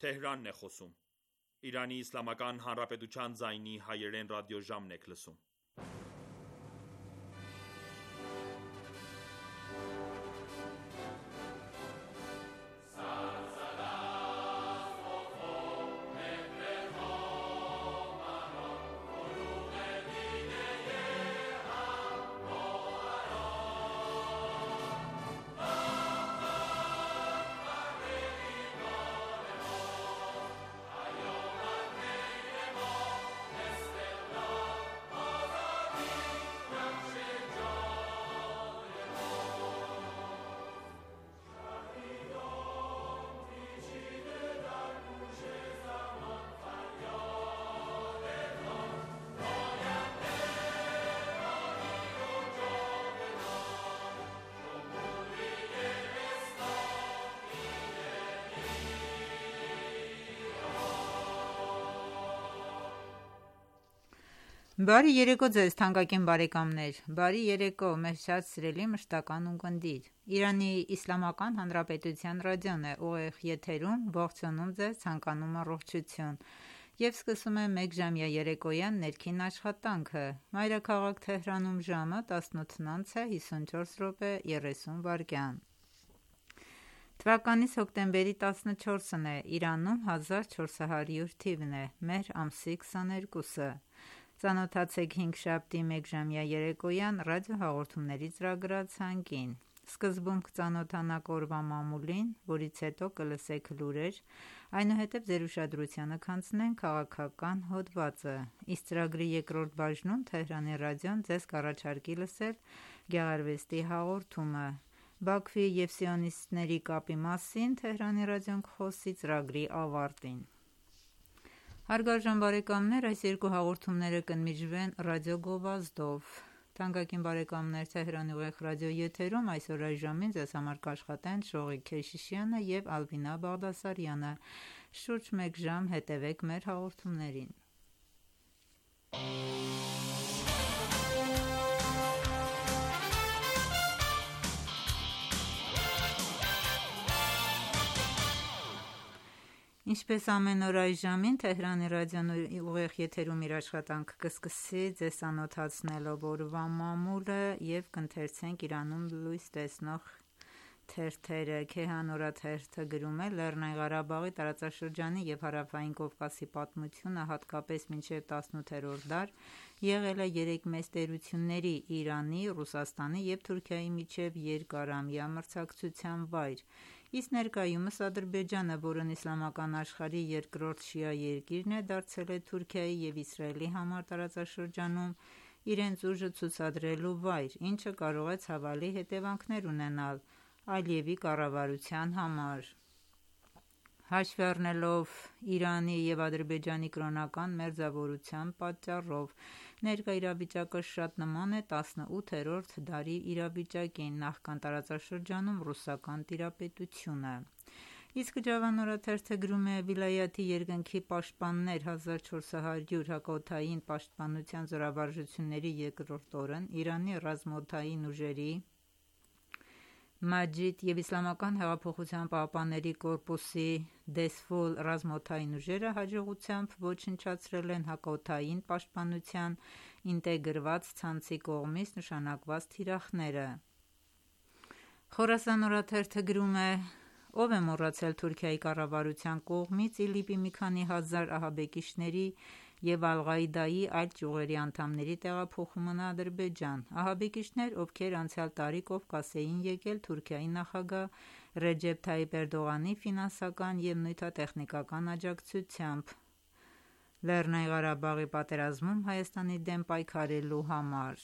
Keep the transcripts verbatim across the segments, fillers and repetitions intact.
Թեհրանն է խոսում։ Իրանի Իսլամական Հանրապետության ձայնի հայերեն ռադիոժամն եք լսում։ Բարի երեկո ձեզ թանկագին բարեկամներ: Բարի երեկո մեզ շատ սիրելի մշտական ունկնդիր: Իրանի Իսլամական Հանրապետության ռադիոն է ուղիղ եթերում, ողջունում ձեզ, ցանկանում առողջություն և սկսում է մեկժամյա երեկոյան ներքին աշխատանքը: Մայրաքաղաք Թեհրանում ժամը տասնութն անց է հիսունչորս րոպե երեսուն վայրկյան: Թվականիս հոկտեմբերի տասնչորսն է, Իրանում հազար չորս հարյուր թիվն է, մեր ամսի քսաներկուսը: Ծանոթացեք հինգշաբթի մեկժամյա երեկոյան ռադիոհաղորդումների ծրագրացանկին: Սկզբում կծանոթանաք օրվա մամուլին, որից հետո կլսեք լուրեր, այնուհետև ձեր ուշադրությանը կհանձնենք քաղաքական հոդվածը: Իսկ ծրագրի երկրորդ բաժնում Թեհրանի ռադիոն ձեզ կառաջարկի լսել գեղարվեստի հաղորդումը: Բաքվի և սիոնիստների կապի մասին Թեհրանի ռադիոն կխոսի ծրագրի ավարտին: Հարգարժան բարեկամներ այս երկու հաղորդումները կընդմիջվեն ռադիոգովազդով: Թանկագին բարեկամներ Թեհրանի ուղիղ ռադիոյի եթերում այսօր այժմին ձեզ համար կաշխատեն Շողիկ Քեշիշյանը և Ալվինա Բաղդասարյանը: Շուրջ մեկ ժամ հետևեք մեր հաղորդումներին: Ինչպես ամեն օր այս ժամին Թեհրանի ռադիոն ուղիղ եթերում իր աշխատանքը կսկսի ձեզ ծանոթացնելով օրվա մամուլը և կընթերցենք Իրանում լույս տեսնող թերթերը: Քեհան օրաթերթը գրում է. «Լեռնային Ղարաբաղի տարածաշրջանի և Հարավային Կովկասի պատմությունը հատկապես մինչև տասնութերորդ դար եղել է երեք մեծ տերությունների՝ Իրանի, Ռուսաստանի և Թուրքիայի միջև երկարամյա մրցակցության վայր, իսկ ներկայումս Ադրբեջանը, որն իսլամական աշխարհի երկրորդ շիա երկիրն է, դարձել է Թուրքիայի և Իսրայելի համար տարածաշրջանում իրենց ուժը ցուցադրելու վայր, ինչը կարող է ցավալի հետևանքներ ունենալ Ալիևի կառավարության համար»: Հաշվի առնելով Իրանի և Ադրբեջանի կրոնական մերձավորության պատճառով ներկա իրավիճակը շատ նման է տասնութերորդ դարի իրավիճակին նախքան տարածաշրջանում ռուսական տիրապետությունը: Իսկ Ջավան օրաթերթը գրում է. «Վիլայաթի երկնքի պաշտպաններ հազար չորս հարյուր հակաօդային պաշտպանության զորավարժությունների երկրորդ օրն Իրանի ռազմաօդային ուժերի, Մաջիդ և Իսլամական հեղափոխության պահապանների կորպուսի Դեզֆուլ ռազմաօդային ուժերը հաջողությամբ ոչնչացրել են հակաօդային պաշտպանության ինտեգրված ցանցի կողմից նշանակված թիրախները»: Խորասան օրաթերթը գրում է. «Ո՞վ է մոռացել Թուրքիայի կառավարության կողմից ԻԼԻՊ-ի մի քանի հազար ահաբեկիչների և Ալ-Ղաիդայի այլ ճյուղերի անդամների տեղափոխումն Ադրբեջան: Ահաբեկիչներ, ովքեր անցյալ տարի Կովկաս էին եկել Թուրքիայի նախագահ Ռեջեփ Թայիփ Էրդողանի ֆինանսական և նյութատեխնիկական աջակցությամբ ԼՂ պատերազմում Հայաստանի դեմ պայքարելու համար: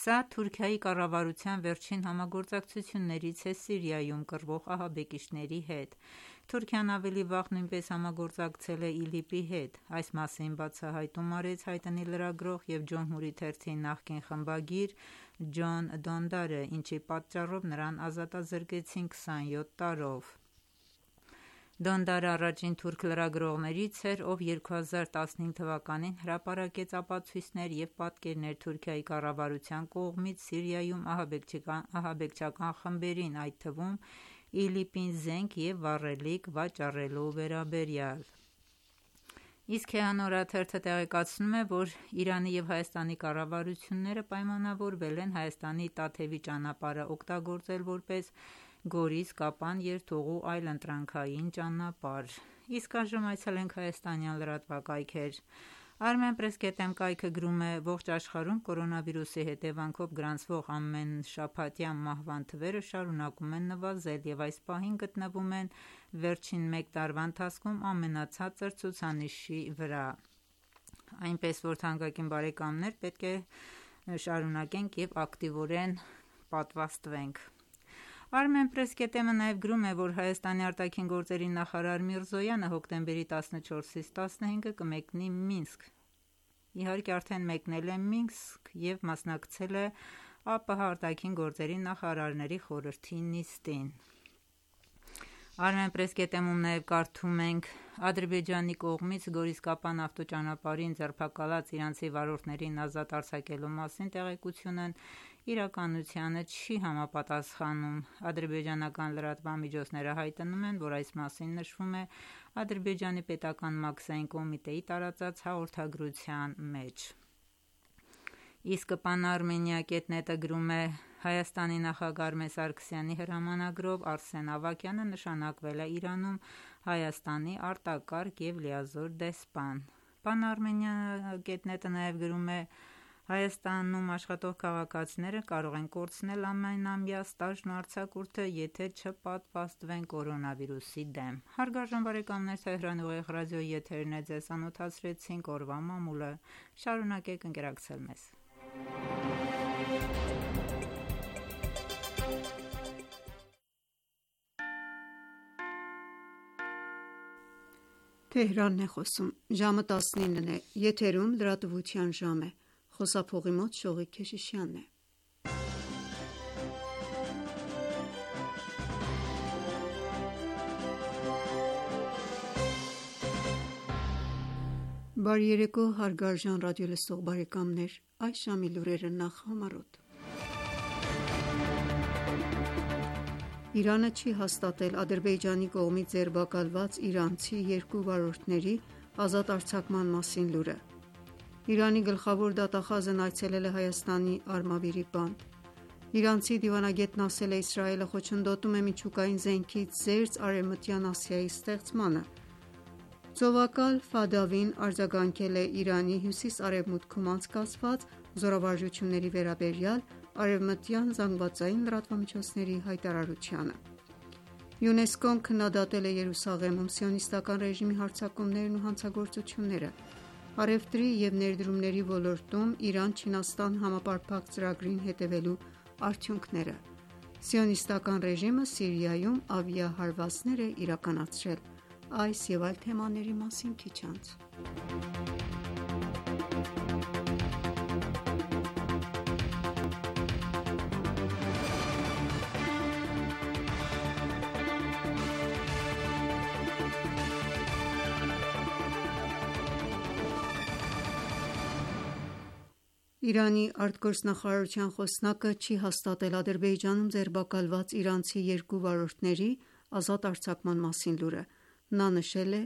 Սա Թուրքիայի կառավարության վերջին համագործակցություններից է Սիրիայում կռվող ահաբեկիչների հետ: Թուրքիան ավելի վաղ նույնպես համագործակցել է ԻԼԻՊ-ի հետ: Այս մասին բացահայտում արեց հայտնի լրագրող և Ջոմհուրի թերթի նախկին խմբագիր Ջոն Դոնդարը, ինչի պատճառով նրան ազատազրկեցին քսանյոթ տարով: Դոնդարը առաջին թուրք լրագրողներից էր, ով երկու հազար տասնհինգ թվականին հրապարակեց ապացույցներ և պատկերներ Թուրքիայի կառավարության կողմից Սիրիայում ահաբեկչական խմբերին, այդ թվում ԻԼԻՊ-ին զենք և վառելիք վաճառելու վերաբերյալ: Իսկ «Քեհան» օրաթերթը տեղեկացնում է, որ Իրանի և Հայաստանի կառավարությունները պայմանավորվել են Հայաստանի Տաթևի ճանապարհը օգտագործել որպես Գորիս-Կապան երթուղու այլընտրանքային ճանապարհ: Իսկ այժմ այցելենք հայաստանյան լրատվակայքեր: Armenpress.am կայքը գրում է. «Ողջ աշխարհում կորոնավիրուսի հետևանքով գրանցվող ամենշաբաթյա մահվան թվերը շարունակում են նվազել և այս պահին գտնվում են վերջին մեկ տարվա ընթացքում ամենացածր ցուցանիշի վրա: Այնպես որ թանկագին բարեկամներ պետք է շարունակենք և ակտիվորեն պատվաստվենք»: Armenpress.am-ը նաև գրում է, որ Հայաստանի արտաքին գործերի նախարար Միրզոյանը հոկտեմբերի տասնչորսից տասնհինգը կմեկնի Մինսկ: Իհարկե արդեն մեկնել է Մինսկ և մասնակցել է ԱՊՀ արտաքին գործերի նախարարների խորհրդի նիստին: Armenpress.am-ում նաև կարդում ենք. «Ադրբեջանի կողմից Գորիս-Կապան ավտոճանապարհին ձերբակալած իրանցի վարորդներին ազատ արձակելու մասին տեղեկությունն իրականությանը չի համապատասխանում»: Ադրբեջանական լրատվամիջոցները հայտնում են, որ այս մասին նշվում է Ադրբեջանի պետական մաքսային կոմիտեի տարածած հաղորդագրության մեջ: Իսկ Pan-Armenia.net-ը գրում է. «Հայաստանի նախագահ Արմեն Սարգսյանի հրամանագրով Արսեն Ավագյանը նշանակվել է Իրանում Հայաստանի արտակարգ և լիազոր դեսպան»: Pan-Armenia.net-ը նաև գրում է. «Հայաստանում աշխատող քաղաքացիները կարող են կորցնել ամենամյա ստաժն ու արձակուրդը, եթե չպատվաստվեն կորոնավիրուսի դեմ»: Հարգարժան բարեկամներ, Թեհրանի ուղիղ ռադիոյի եթերն է, ձեզ ծանոթացրեցինք օրվա մամուլը: Շարունակեք ընկերակցել մեզ: Բարի երեկո հարգարժան ռադիոլսող բարեկամներ: Այս ժամի լուրերը նախ համառոտ: Իրանը չի հաստատել Ադրբեջանի կողմից ձերբակալված իրանցի երկու վարորդների ազատ արձակման մասին լուրը: Իրանի գլխավոր դատախազն այցելել է Հայաստանի Արմավիրի բանտ: Իրանցի դիվանագետն ասել է Իսրայելը խոչընդոտում է միջուկային զենքից զերծ Արևմտյան Ասիայի ստեղծմանը: Ծովակալ Ֆադավին արձագանքել է Իրանի հյուսիս-արևմուտքում անցկացված զորավարժությունների վերաբերյալ արևմտյան ԶԼՄ-ների հայտարարությանը: ՅՈՒՆԵՍԿՕ-ն քննադատել է Երուսաղեմում սիոնիստական ռեժիմի հարձակումներն ու հանցագործությունները: Առևտրի և ներդրումների ոլորտում Իրան-Չինաստան համապարփակ ծրագրին հետևելու արդյունքները: Սիոնիստական ռեժիմը Սիրիայում ավիահարվածներ է իրականացրել: Այս և այլ թեմաների մասին քիչ անց: Իրանի արտգործնախարարության խոսնակը չի հաստատել Ադրբեջանում ձերբակալված իրանցի երկու վարորդների ազատ արձակման մասին լուրը: Նա նշել է.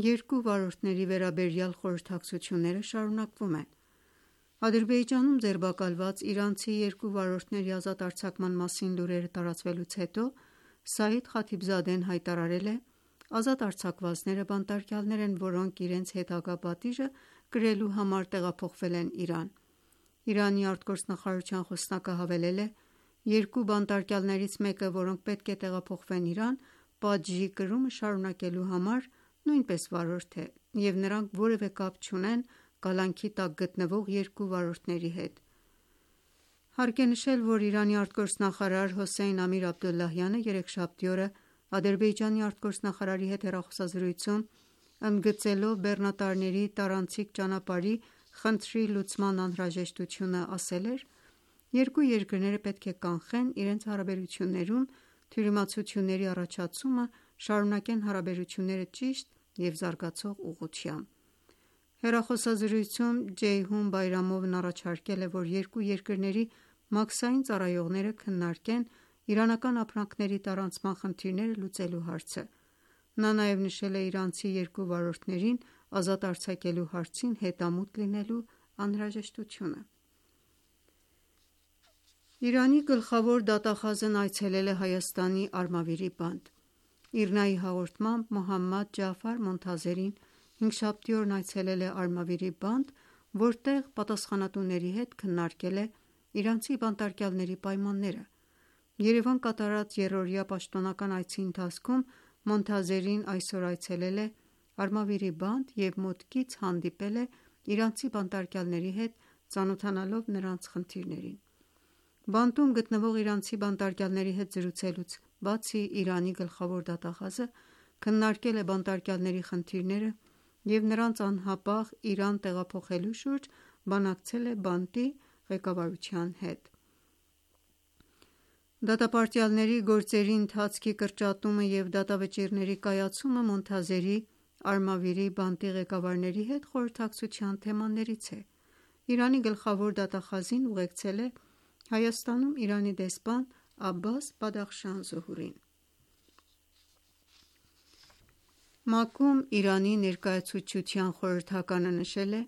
«Երկու վարորդների վերաբերյալ խորհրդակցությունները շարունակվում են»: Ադրբեջանում ձերբակալված իրանցի երկու վարորդների ազատ արձակման մասին լուրերը տարածվելուց հետո Սաիդ Խաթիբզադեն հայտարարել է. «Ազատ արձակվածները բանտարկյալներ են, որոնք իրենց հետագա պատիժը կրելու համար տեղափոխվել են Իրան»: Իրանի արտգործնախարարության խոսնակը հավելել է. «Երկու բանտարկյալներից մեկը, որոնք պետք է տեղափոխվեն Իրան, պատժի կրումը շարունակելու համար, նույնպես վարորդ է և նրանք որևէ կապ չունեն կալանքի տակ գտնվող երկու վարորդների հետ»: Հարկ է նշել, որ Իրանի արտգործնախարար Հոսեյն Ամիր-Աբդոլլահյանը երեքշաբթի օրը Ադրբեջանի արտգործնախարարի հետ հեռախոսազրույցում ընդգծելով բեռնատարների տարանցիկ ճանապարհի խնդրի լուծման անհրաժեշտությունը ասել էր. «Երկու երկրները պետք է կանխեն իրենց հարաբերություններում թյուրիմացությունների առաջացումը, շարունակեն հարաբերությունները ճիշտ և զարգացող ուղղությամբ»: Հեռախոսազրույցում Ջեյհուն Բայրամովն առաջարկել է, որ երկու երկրների մաքսային ծառայողները քննարկեն իրանական ապրանքների տարանցման խնդիրները լուծելու հարցը։ Նա նաև նշել է իրանցի երկու վարորդներին ազատ արձակելու հարցին հետամուտ լինելու անհրաժեշտությունը։ Իրանի գլխավոր դատախազն այցելել է Հայաստանի Արմավիրի բանտ։ ԻՌՆԱ-ի հաղորդմամբ Մոհամմադ Ջաֆար Մոնթազերին հինգշաբթի օրն այցելել է Արմավիրի բանտ, որտեղ պատասխանատուների հետ քննարկել է իրանցի բանտարկյալների պայմանները։ Երևան կատարած եռօրյա պաշտոնական այցի ընթացքում Մոնթազերին այսօր այցելել է Արմավիրի բանտ և մոտիկից հանդիպել է իրանցի բանտարկյալների հետ, ծանոթանալով նրանց խնդիրներին։ Բանտում գտնվող իրանցի բանտարկյալների հետ զրուցելուց բացի Իրանի գլխավոր դատախազը քննարկել է բանտարկյալների խնդիրները և նրանց անհապաղ Իրան տեղափոխելու շուրջ բանակցել է բանտի ղեկավարության հետ։ Դատապարտյալների գործերի ընթացքի կրճատումը և դատավճիռների կայացումը Մոնթազերի Արմավիրի բանտի ղեկավարների հետ խորհրդակցության թեմաներից է։ Իրանի գլխավոր դատախազին ուղեկցել է Հայաստանում Իրանի դեսպան Աբբաս Բադախշան Զոհուրին։ ՄԱԿ-ում Իրանի ներկայացուցչության խորհրդականը նշել է.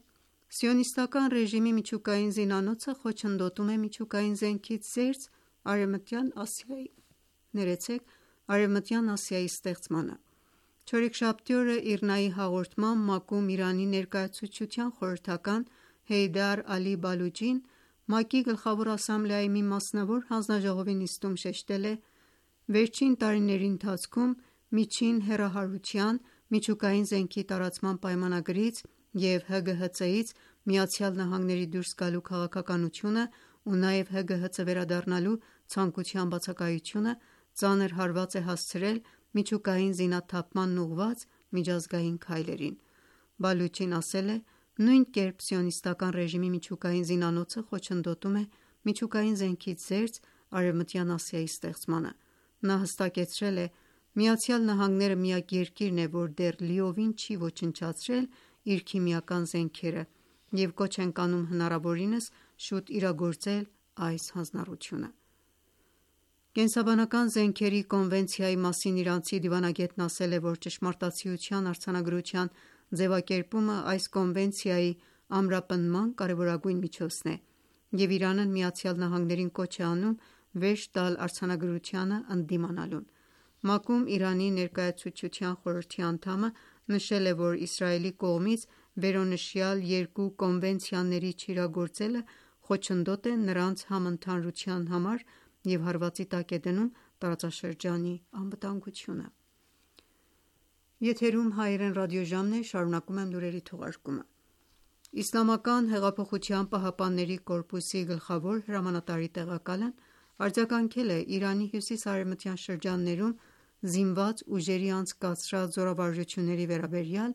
«Սիոնիստական ռեժիմի միջուկային զինանոցը խոչընդոտում է միջուկային զենքից զերծ Արևմտյան Ասիայի, ներեցեք, Արևմտյան Ասիայի ստեղծմանը»։ Չորեքշաբթի օրը ԻՌՆԱ-ի հաղորդմամբ ՄԱԿ-ում Իրանի ներկայացուցչության խորհրդական Հեյդար Ալի Բալուչին ՄԱԿ-ի Գլխավոր ասամբլեայի մի մասնավոր հանձնաժողովի նիստում շեշտել է. «Վերջին տարիների ընթացքում միջին հեռահարության, միջուկային զենքի տարածման պայմանագրից և ՀԳՀԾ-ից ԱՄՆ-ի դուրս գալու քաղաքականությունը ու նաև ՀԳՀԾ վերադառնալու ցանկության բացակայությունը ծանր հարված է հասցրել միջուկային զինաթափմանն ուղղված միջազգային քայլերին»։ Բալուչին ասել է. «Նույն կերպ սիոնիստական ռեժիմի միջուկային զինանոցը խոչընդոտում է միջուկային զենքից զերծ Արևմտյան Ասիայի ստեղծմանը»։ Նա հստակեցրել է. «ԱՄՆ-ը միակ երկիրն է, որ դեռ լիովին չի ոչնչացրել իր քիմիական զենքերը և կոչ ենք անում հնարավորինս շուտ իրագործել այս հանձնառությունը»։ Կենսաբանական զենքերի կոնվենցիայի մասին իրանցի դիվանագետն ասել է, որ ճշմարտացիության արձանագրության ձևակերպումը այս կոնվենցիայի ամրապնդման կարևորագույն միջոցն է, և Իրանն ԱՄՆ-ին կոչ է անում վերջ տալ արձանագրությանը ընդդիմանալուն։ ՄԱԿ-ում Իրանի ներկայացուցչության խորհրդի անդամը նշել է, որ Իսրայելի կողմից վերոնշյալ երկու կոնվենցիաների չիրագործելը խոչընդոտ է նրանց համընդհանուրության համար և հարվածի տակ է դնում տարածաշրջանի անվտանգությունը։ Իսլամական հեղափոխության պահապանների կորպուսի գլխավոր հրամանատարի տեղակալն արձագանքել է Իրանի հյուսիս-արևմտյան շրջաններում զինված ուժերի անցկացրած զորավարժությունների վերաբերյալ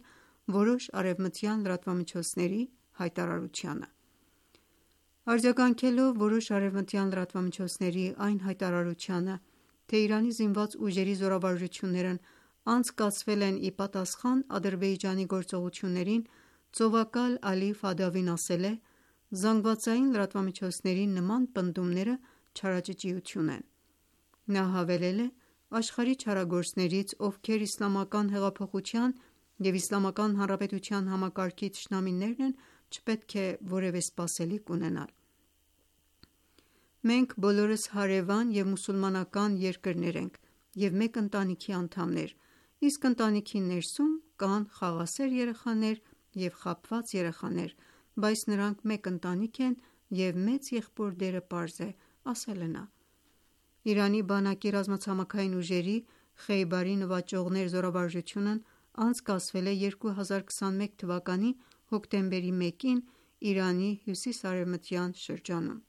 որոշ արևմտյան լրատվամիջոցների հայտարարությանը։ Արձագանքելով որոշ արևմտյան լրատվամիջոցների այն հայտարարությանը, թե Իրանի զինված ուժերի զորավարժություններն անցկացվել են ի պատասխան Ադրբեջանի գործողություններին, ծովակալ Ալի Ֆադավին ասել է. «Զանգվածային լրատվամիջոցների նման պնդումները չարաճճիություն են»։ Նա հավելել է. «Աշխարհի չարագործներից, ովքեր իսլամական հեղափոխության և Իսլամական Հանրապետության համակարգի թշնամիներն են, չպետք է որևէ սպասելիք ունենալ։ Մենք բոլորս հարևան և մուսուլմանական երկրներ ենք և մեկ ընտանիքի անդամներ, իսկ ընտանիքի ներսում կան խաղաղասեր երեխաներ և խաբված երեխաներ, բայց նրանք մեկ ընտանիք են և մեծ եղբոր դերը պարզ է», ասել է նա։ Իրանի բանակի ռազմացամաքային ուժերի Խեյբարի նվաճողներ զորավարժությունն անցկացվել է երկու հազար քսանմեկ թվականի հոկտեմբերի մեկին Իրանի հյուսիս-արևմտյան շրջանում։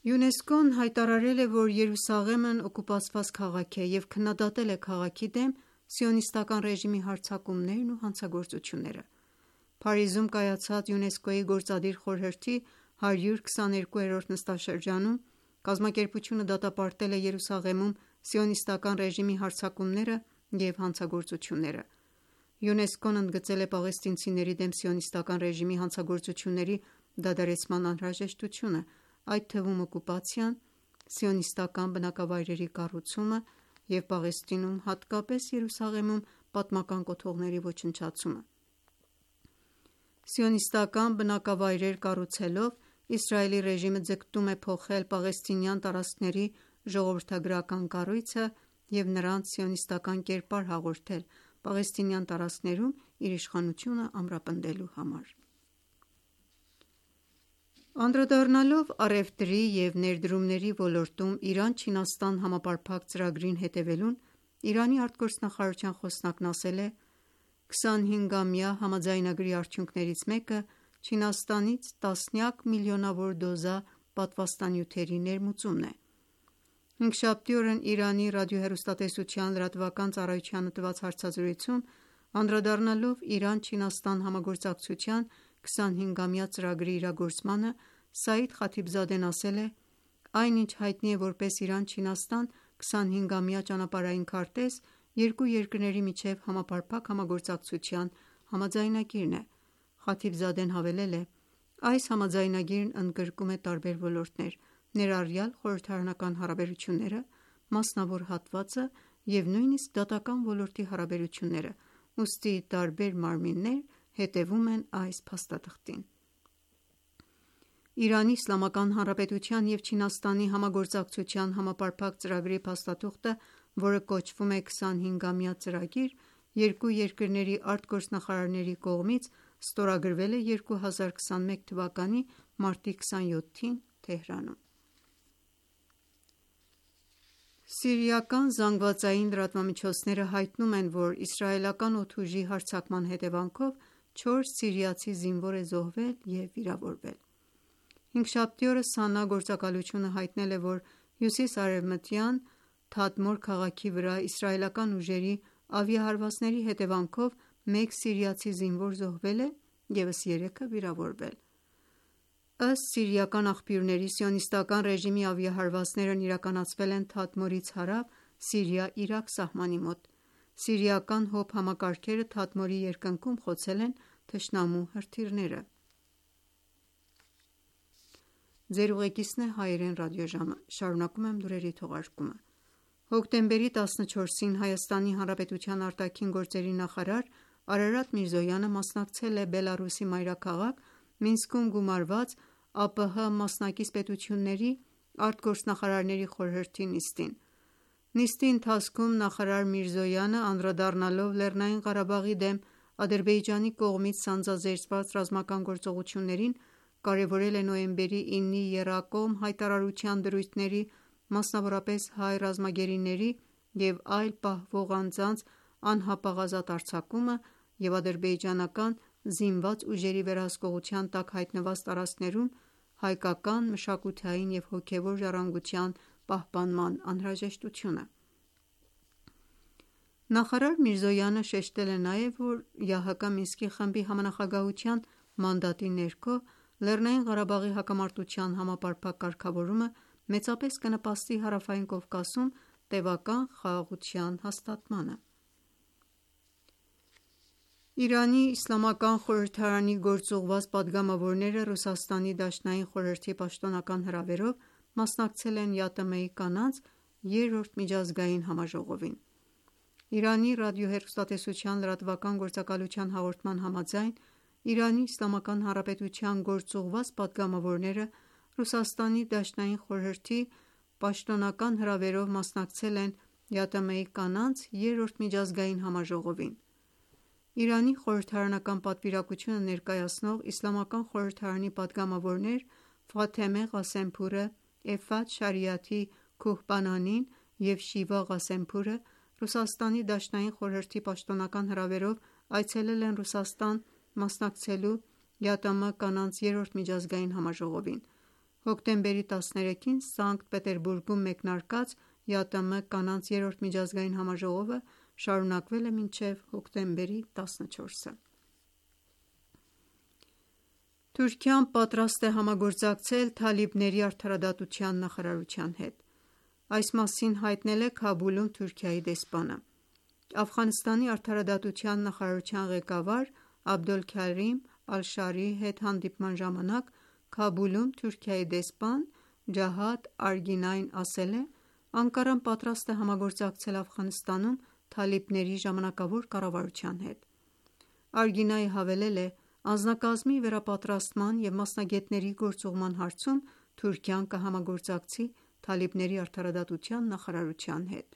ՅՈՒՆԵՍԿՕ-ն հայտարարել է, որ Երուսաղեմն օկուպացված քաղաք է և քննադատել է քաղաքի դեմ սիոնիստական ռեժիմի հարձակումներն ու հանցագործությունները։ Փարիզում կայացած ՅՈՒՆԵՍԿՕ-ի Գործադիր խորհրդի հարյուր քսաներկուերորդ նստաշրջանում կազմակերպությունը դատապարտել է Երուսաղեմում սիոնիստական ռեժիմի հարձակումները և հանցագործությունները։ ՅՈՒՆԵՍԿՕ-ն ընդգծել է պաղեստինցիների դեմ սիոնիստական ռեժիմի հանցագործությունների դադարեցման անհրաժեշտությունը, այդ թվում օկուպացիան, սիոնիստական բնակավայրերի կառուցումը և Պաղեստինում, հատկապես Երուսաղեմում պատմական կոթողների ոչնչացումը։ Սիոնիստական բնակավայրեր կառուցելով Իսրայելի ռեժիմը ձգտում է փոխել պաղեստինյան տարածքների ժողովրդագրական կառույցը և նրանց սիոնիստական կերպար հաղորդել պաղեստինյան տարածքներում իր իշխանությունը ամրապնդելու համար։ Անդրադառնալով առևտրի և ներդրումների ոլորտում Իրան-Չինաստան համապարփակ ծրագրին հետևելուն, Իրանի արտգործնախարարության խոսնակն ասել է. «քսանհինգամյա համաձայնագրի արդյունքներից մեկը Չինաստանից տասնյակ միլիոնավոր դոզա պատվաստանյութերի ներմուծումն է»։ Հինգշաբթի օրն Իրանի ռադիոհեռուստատեսության լրատվական ծառայությանը տված հարցազրույցում անդրադառնալով Իրան-Չինաստան համագործակցության քսանհինգամյա ծրագրի իրագործմանը, Սաիդ Խաթիբզադեն ասել է. «Այն, ինչ հայտնի է որպես Իրան-Չինաստան քսանհինգամյա ճանապարհային քարտեզ, երկու երկրների միջև համապարփակ համագործակցության համաձայնագիրն է»։ Խաթիբզադեն հավելել է. «Այս համաձայնագիրն ընդգրկում է տարբեր ոլորտներ, ներառյալ խորհրդարանական հարաբերությունները, մասնավոր հատվածը և նույնիսկ դատական ոլորտի հարաբերությունները, ուստի տարբեր մարմիններ հետևում են այս փաստաթղթին»։ Իրանի Իսլամական Հանրապետության և Չինաստանի համագործակցության համապարփակ ծրագրի փաստաթուղթը, որը կոչվում է քսանհինգամյա ծրագիր, երկու երկրների արտգործնախարարների կողմից ստորագրվել է երկու հազար քսանմեկ թվականի մարտի քսանյոթին Թեհրանում։ Սիրիական ԶԼՄ-ները հայտնում են, որ իսրայելական օդուժի հարձակման հետևանքով չորս սիրիացի զինվոր է զոհվել և վիրավորվել։ Հինգշաբթի օրը ՍԱՆԱ գործակալությունը հայտնել է, որ հյուսիս-արևմտյան Թադմոր քաղաքի վրա իսրայելական ուժերի ավիահարվածների հետևանքով մեկ սիրիացի զինվոր զոհվել է, ևս երեքը վիրավորվել։ Ըստ սիրիական աղբյուրների, Սիոնիստական ռեժիմի ավիահարվածներն իրականացվել են Թադմորից հարավ Սիրիա-Իրաք սահմանի մոտ։ Սիրիական ՀՕՊ համակարգերը Թադմորի երկնքում խոցել են թշնամու հրթիռները։ Հոկտեմբերի տասնչորսին Հայաստանի Հանրապետության արտաքին գործերի նախարար Արարատ Միրզոյանը մասնակցել է Բելառուսի մայրաքաղաք Մինսկում գումարված ԱՊՀ մասնակից պետությունների արտգործնախարարների խորհրդի նիստին։ Նիստի ընթացքում նախարար Միրզոյանը, անդրադառնալով Լեռնային Ղարաբաղի դեմ Ադրբեջանի կողմից սանձազերծված ռազմական գործողություններին, կարևորել է նոյեմբերի իննի եռակողմ հայտարարության դրույթների, մասնավորապես հայ ռազմագերիների և այլ պահվող անձանց անհապաղ ազատ արձակումը և ադրբեջանական զինված ուժերի վերահսկողության տակ հայտնված տարածքներում հայկական մշակութային և հոգևոր ժառանգության պահպանման անհրաժեշտությունը։ Նախարար Միրզոյանը շեշտել է նաև, որ ԵԱՀԿ Մինսկի խմբի համանախագահության մանդատի ներքո Լեռնային Ղարաբաղի հակամարտության համապարփակ կարգավորումը մեծապես կնպաստի Հարավային Կովկասում տևական խաղաղության հաստատմանը։ Իրանի իսլամական խորհրդարանի գործուղված պատգամավորները Ռուսաստանի Դաշնային խորհրդի պաշտոնական հրավերով մասնակցել են ԵԱՏՄ-ի կանանց երրորդ միջազգային համաժողովին։ Իրանի ռադիոհեռուստատեսության լրատվական գործակալության հաղորդման համաձայն, Իրանի Իսլամական Հանրապետության գործուղված պատգամավորները Ռուսաստանի Դաշնային խորհրդի պաշտոնական հրավերով մասնակցել են ԵԱՏՄ-ի կանանց երրորդ միջազգային համաժողովին։ Իրանի խորհրդարանական պատվիրակությունը ներկայացնող Իսլամական խորհրդարանի պատգամավորներ Ֆաթեմե Ղասեմփուրը, Էֆաթ Շարիաթի Քոհբանանին և Շիվա Ղասեմփուրը Ռուսաստանի Դաշնային խորհրդի պաշտոնական հրավերով այցելել են Ռուսաստան՝ մասնակցելու ԵԱՏՄ կանանց երրորդ միջազգային համաժողովին։ Հոկտեմբերի տասներեքին Սանկտ Պետերբուրգում մեկնարկած ԵԱՏՄ կանանց երրորդ միջազգային համաժողովը շարունակվել է մինչև հոկտեմբերի տասնչորսը։ Թուրքիան պատրաստ է համագործակցել թալիբների արդարադատության նախարարության հետ։ Այս մասին հայտնել է Քաբուլում Թուրքիայի դեսպանը։ Աֆղանստանի արդարադատության նախարարության ղեկավար Աբդոլքարիմ Ալ-Շարիի հետ հանդիպման ժամանակ Քաբուլում Թուրքիայի դեսպան Ջահադ Արգինային ասել է. «Անկարան պատրաստ է համագործակցել Աֆղանստանում թալիբների ժամանակավոր կառավարության հետ»։ Արգինայի հավելել է. «Անձնակազմի վերապատրաստման և մասնագետների գործուղման հարցում Թուրքիան կհամագործակցի թալիբների արդարադատության նախարարության հետ»։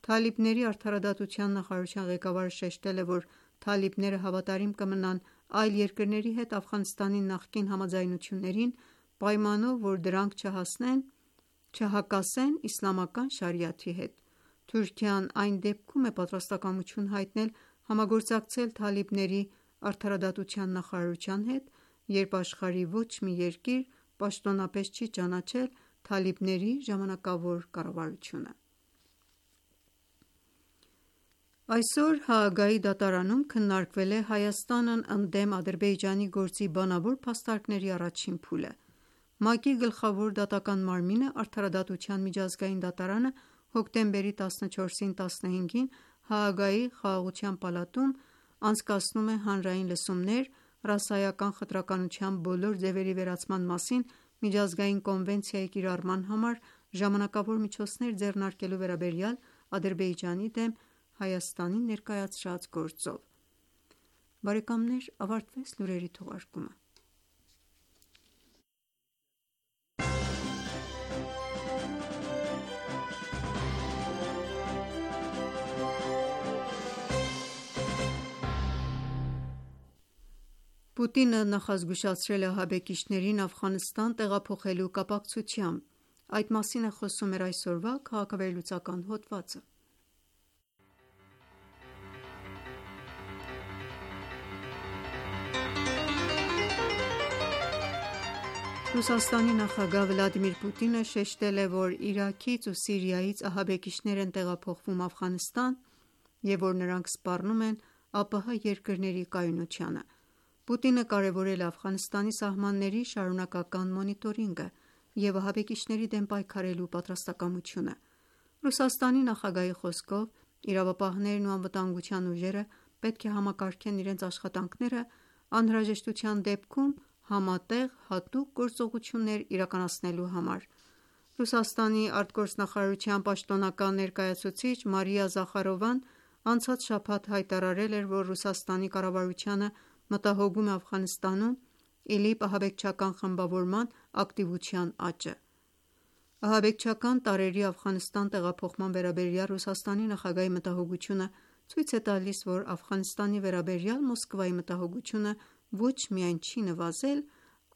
Թալիբների արդարադատության նախարարության ղեկավարը շեշտել է, որ թալիբները հավատարիմ կմնան այլ երկրների հետ Աֆղանստանի նախկին համաձայնություններին, պայմանով, որ դրանք չհակասեն իսլամական շարիաթի հետ։ Թուրքիան այն դեպքում է պատրաստակամություն հայտնել համագործակցել թալիբների արդարադատության նախարարության հետ, երբ աշխարհի ոչ մի երկիր պաշտոնապես չի ճանաչել թալիբների ժամանակավոր կառավարությունը։ Այսօր Հաագայի դատարանում քննարկվել է Հայաստանն ընդդեմ Ադրբեջանի գործի բանավոր փաստարկների առաջին փուլը։ ՄԱԿ-ի գլխավոր դատական մարմինը Արդարադատության միջազգային դատարանը հոկտեմբերի տասնչորսին տասնհինգին Հաագայի Խաղաղության պալատում անցկացնում է հանրային լսումներ ռասայական խտրականության բոլոր ձևերի վերացման մասին միջազգային կոնվենցիայի կիրառման համար ժամանակավոր միջոցներ ձեռնարկելու վերաբերյալ Ադրբեջանի դեմ Հայաստանի ներկայացրած գործով։ Ավարտվեց լուրերի թողարկումը։ Պուտինը նախազգուշացրել է ահաբեկիչներին Աֆղանստան տեղափոխելու կապակցությամբ։ Այդ մասին է խոսում մեր այսօրվա քաղաքավերլուծական հոդվածը։ Ռուսաստանի նախագահ Վլադիմիր Պուտինը շեշտել է, որ Իրաքից ու Սիրիայից ահաբեկիչներ են տեղափոխվում Աֆղանստան և որ նրանք սպառնում են ԱՊՀ երկրների կայունությանը։ Պուտինը կարևորել է Աֆղանստանի սահմանների շարունակական մոնիտորինգը և ահաբեկիչների դեմ պայքարելու պատրաստակամությունը։ Ռուսաստանի նախագահի խոսքով իրավապահներն ու անվտանգության ուժերը պետք է համակարգեն իրենց աշխատանքները անհրաժեշտության դեպքում համատեղ հատուկ գործողություններ իրականացնելու համար։ Ռուսաստանի արտգործնախարարության պաշտոնական ներկայացուցիչ Մարիա Զախարովան անցած շաբաթ հայտարարել էր, որ Ռուսաստանի կառավարությանը մտահոգում է Աֆղանստանում ԻԼԻՊ ահաբեկչական խմբավորման ակտիվության աճը։ Ահաբեկչական տարրերի Աֆղանստան տեղափոխման վերաբերյալ Ռուսաստանի նախագահի մտահոգությունը ցույց է տալիս, որ Աֆղանստանի վերաբերյալ Մոսկվայի մտահոգությունը ոչ միայն չի նվազել,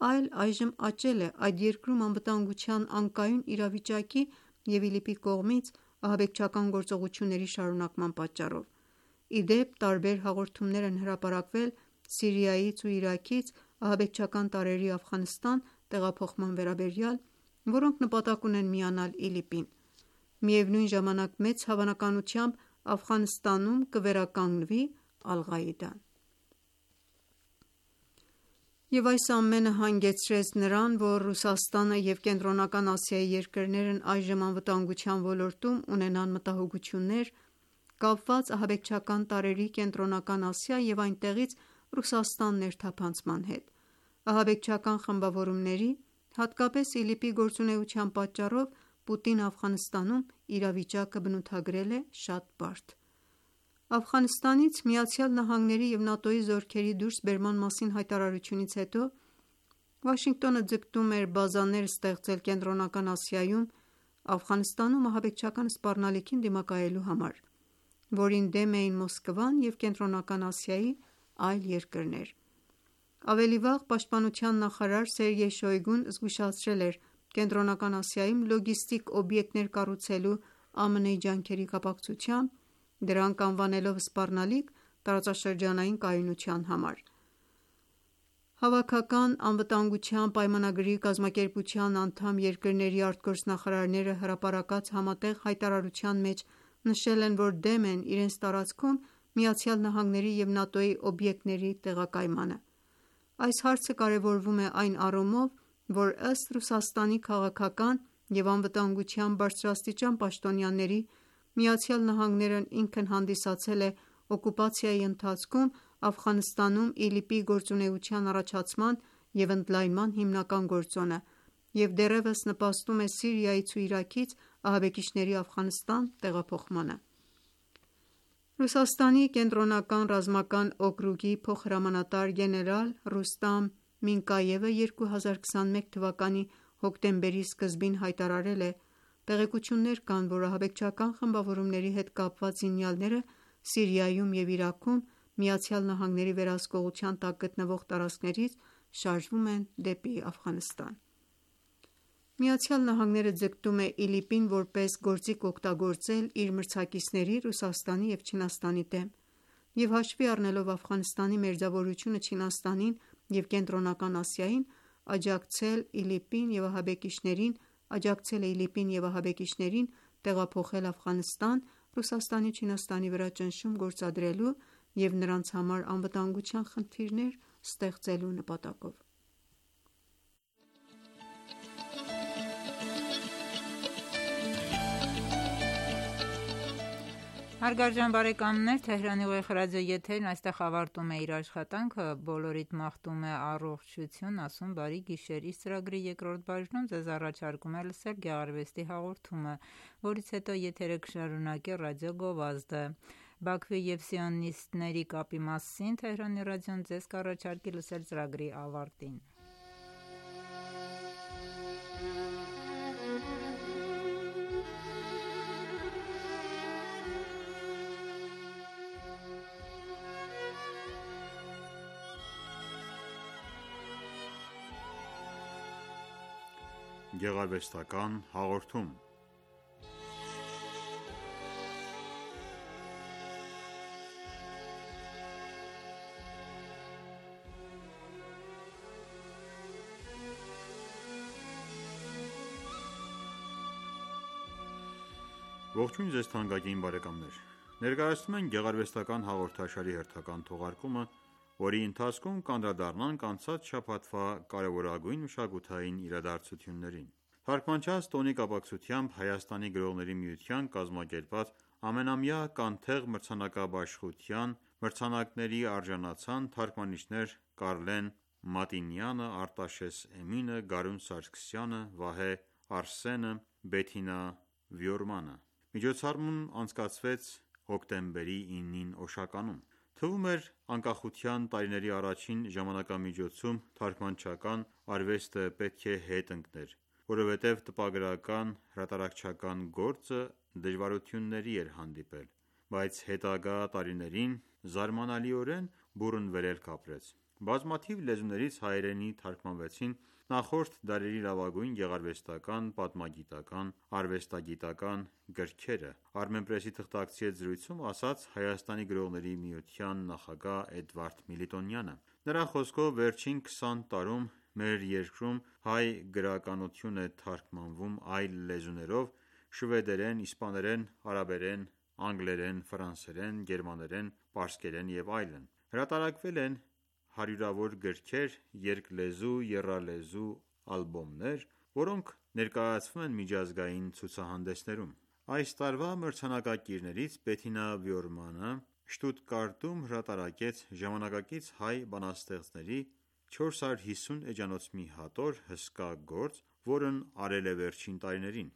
այլ այժմ աճել է այդ երկրում անվտանգության անկայուն իրավիճակի և ԻԼԻՊ-ի կողմից ահաբեկչական գործողությունների շարունակման պատճառով։ Ի դեպ, տարբեր հաղորդումներ են հրապարակվել Սիրիայից ու Իրաքից ահաբեկչական տարրերի Աֆղանստան տեղափոխման վերաբերյալ, որոնք նպատակ ունեն միանալ ԻԼԻՊ-ին։ Միևնույն ժամանակ մեծ հավանականությամբ Աֆղանստանում կվերականգնվի Ալ-Ղաիդան։ Եվ այս ամենը հանգեցրեց նրան, որ Ռուսաստանը և Կենտրոնական Ասիայի երկրներն այժմ անվտանգության ոլորտում ունենան մտահոգություններ՝ կապված ահաբեկչական տարրերի Կենտրոնական Ասիա և այնտեղից Ռուսաստան ներթափանցման հետ։ Ահաբեկչական խմբավորումների, հատկապես ԻԼԻՊ-ի գործունեության պատճառով Պուտինը Աֆղանստանում իրավիճակը բնութագրել է շատ բարդ։ Աֆղանստանից ԱՄՆ-ի և ՆԱՏՕ-ի զորքերի դուրսբերման մասին հայտարարությունից հետո Վաշինգտոնը ձգտում էր բազաներ ստեղծել Կենտրոնական Ասիայում Աֆղանստանում ահաբեկչական սպառնալիքին դիմակայելու համար, որին դեմ էին Մոսկվան և Կենտրոնական Ասիայի այլ երկրներ։ Ավելի վաղ պաշտպանության նախարար Սերգեյ Շոյգուն զգուշացրել էր Կենտրոնական Ասիայում լոգիստիկ օբյեկտներ կառուցելու ԱՄՆ-ի ջանքերի կապակցությամբ, դրանք անվանելով սպառնալիք տարածաշրջանային կայունության համար։ Հավաքական անվտանգության պայմանագրի կազմակերպության անդամ երկրների արտգործնախարարները հրապարակած համատեղ հայտարարության մեջ նշել են, որ դեմ են իրենց տարածքում ԱՄՆ-ի և ՆԱՏՕ-ի օբյեկտների տեղակայմանը։ Այս հարցը կարևորվում է այն առումով, որ ըստ Ռուսաստանի քաղաքական և անվտանգության բարձրաստիճան պաշտոնյաների ԱՄՆ-ն ինքն հանդիսացել է օկուպացիայի ընթացքում Աֆղանստանում ԻԼԻՊ-ի գործունեության առաջացման և ընդլայնման հիմնական գործոնը և դեռևս նպաստում է Սիրիայից ու Իրաքից ահաբեկիչների Աֆղանստան տեղափոխմանը: Ռուսաստանի կենտրոնական ռազմական օկրուգի փոխհրամանատար գեներալ Ռուստամ Մինկայևը երկու հազար քսաներկու թվականի հոկտեմբերի սկզբին հայտարարել է.«Տեղեկություններ կան, որ ահաբեկչական խմբավորումների հետ կապված զինյալները Սիրիայում և Իրաքում ԱՄՆ-ի վերահսկողության տակ գտնվող տարածքներից շարժվում են դեպի Աֆղանստան»: ԱՄՆ-ը ձգտում է ԻԼԻՊ-ին որպես գործիք օգտագործել իր մրցակիցների Ռուսաստանի և Չինաստանի դեմ և հաշվի առնելով Աֆղանստանի մերձավորությունը Չինաստանին և Կենտրոնական Ասիային, աջակցել է ԻԼԻՊ-ին և ահաբեկիչներին տեղափոխել Աֆղանստան՝ Ռուսաստանի ու Չինաստանի վրա ճնշում գործադրելու և նրանց համար անվտանգության խնդիրներ ստեղծելու նպատակով: Հարգարժան բարեկամներ, այստեղ ավարտում է իր աշխատանքը «Բոլորիդ մաղթում է առողջություն, ասում բարի գիշեր»։ Իր ծրագրի երկրորդ բաժնում ձեզ առաջարկում է լսել գեղարվեստի հաղորդումը, որից հետո եթերը կշարունակի ռադիո գովազդը: Բաքվի և սիոնիստների կապի մասին Թեհրանի ռադիոն ձեզ կառաջարկի լսել ծրագրի ավարտին: Գեղարվեստական հաղորդում Ողջույն ձեզ թանկագին բարեկամներ: Ներկայացնում ենք գեղարվեստական հաղորդաշարի հերթական թողարկումը, որի ընթացքում կանդրադառնանք անցած շաբաթվա կարևորագույն մշակութային իրադարձություններին: Թարգմանչած տոնի կապակցությամբ Հայաստանի գրողների միության կազմակերպած ամենամյա «Կանթեղ» մրցանակաբաշխության մրցանակների արժանացան թարգմանիչներ Կարլեն Մատինյանը, Արտաշես Էմինը, Գարուն Սարգսյանը, Վահե Արսենը, Բեթինա Վիորմանը: Միջոցառումն անցկացվեց հոկտեմբերի ինին Օշականում: Թվում էր անկախության տարիների առաջին ժամանակամիջոցում թարգմանչական արվեստը պետք է հետ ընկներ, որովհետև տպագրական հրատարակչական գործը դժվարությունների էր հանդիպել: Բայց հետագա տարիներին զարմանալիորեն բուռն վերելք ապրեց: Բազմաթիվ լեզուներից հայերենի թարգմանվեցին նախորդ դարերի լավագույն գեղարվեստական, պատմագիտական, արվեստագիտական գրքերը: Armenpress-ի թղթակցի հետ զրույցում ասաց Հայաստանի գրողների միության նախագահ Էդվարդ Միլիտոնյանը: Նրա խոսքով վերջին քսան տարում մեր երկրում հայ գրականություն է թարգմանվում այլ լեզուներով՝ շվեդերեն, իսպաներեն, արաբերեն, անգլերեն, ֆրանսերեն, գերմաներեն, պարսկերեն և այլն: Հրատարակվել են հարյուրավոր գրքեր, երկլեզու, եռալեզու ալբոմներ, որոնք ներկայացվում են միջազգային ցուցահանդեսներում: Այս տարվա մրցանակակիրներից Բեթինա Վիորմանը Շտուտգարտում հրատարակեց ժամանակակից հայ բանաստեղծների չորս հարյուր հիսուն էջանոց մի հատոր հսկա գործ, որն արել է վերջին տարիներին: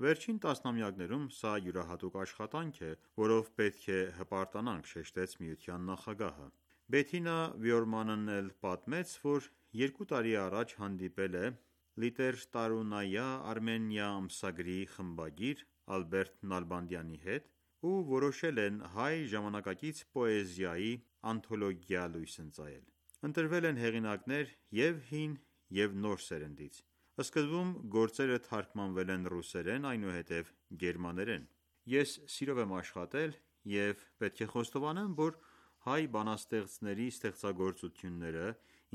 Վերջին տասնամյակներում սա յուրահատուկ աշխատանք է, որով պետք է հպարտանանք, շեշտեց միության նախագահը: Բեթինա Վիորմանն էլ պատմեց, որ երկու տարի առաջ հանդիպել է «Լիտերատուրնայա Արմենիա» ամսագրի խմբագիր Ալբերտ Նալբանդյանի հետ ու որոշել են հայ ժամանակակից պոեզիայի անթոլոգիա լույս ընծայել: Ընտրվել են հեղինակներ և՛ հին և նոր սերնդից: Սկզբում գործերը թարգմանվել են ռուսերեն, այնուհետև գերմաներեն: Ես սիրով եմ աշխատել և պետք է խոստովանեմ, որ հայ բանաստեղծների ստեղծագործությունները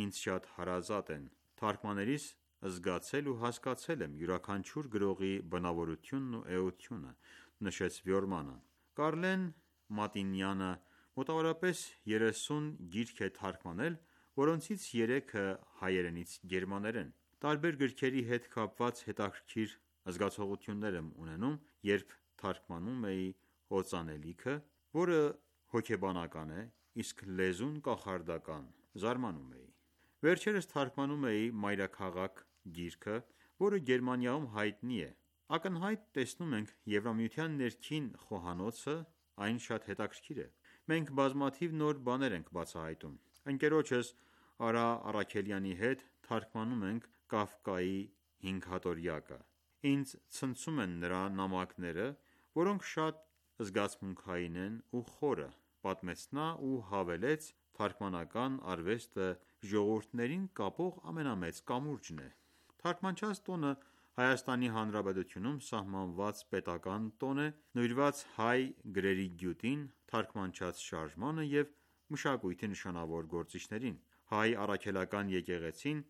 ինձ շատ հարազատ են: Թարգմանելիս զգացել ու հասկացել եմ յուրաքանչյուր գրողի բնավորությունն ու էությունը, նշեց Վիորմանը: Կարլեն Մատինյանը մոտավորապես երեսուն գիրք է թարգմանել, որոնցից երեքը հայերենից գերմաներեն: Տարբեր գրքերի հետ կապված հետաքրքիր զգացողություններ եմ ունենում, երբ թարգմանում էի օծանելիքը, որը հոգեբանական է, իսկ լեզուն կախարդական, զարմանում էի: Վերջերս թարգմանում էի «Մայրաքաղաք» գիրքը, որը Գերմանիայում հայտնի է։ Ակնհայտ տեսնում ենք Եվրամիության ներքին խոհանոցը, այն շատ հետաքրքիր է։ Մենք բազմաթիվ նոր բաներ ենք բացահայտում։ Ընկերոջս Արա Առաքելյանի հետ թարգմանում ենք Կաֆկայի հինգհատորյակը։ Ինձ ցնցում են նրա նամակները, որոնք շատ զգացմունքային են ու խորը, պատմեց նա ու հավելեց. թարգմանական արվեստը ժողովուրդներին կապող ամենամեծ կամուրջն է։ Թարգմանչած տոնը Հայաստանի Հանրապետությունում սահմանված պետական տոն է, նվիրված հայ գրերի գյուտին, թարգմանչած շարժմանը և մշակույթի նշանավոր գործիչներին։ Հայ առաքելական եկեղեցին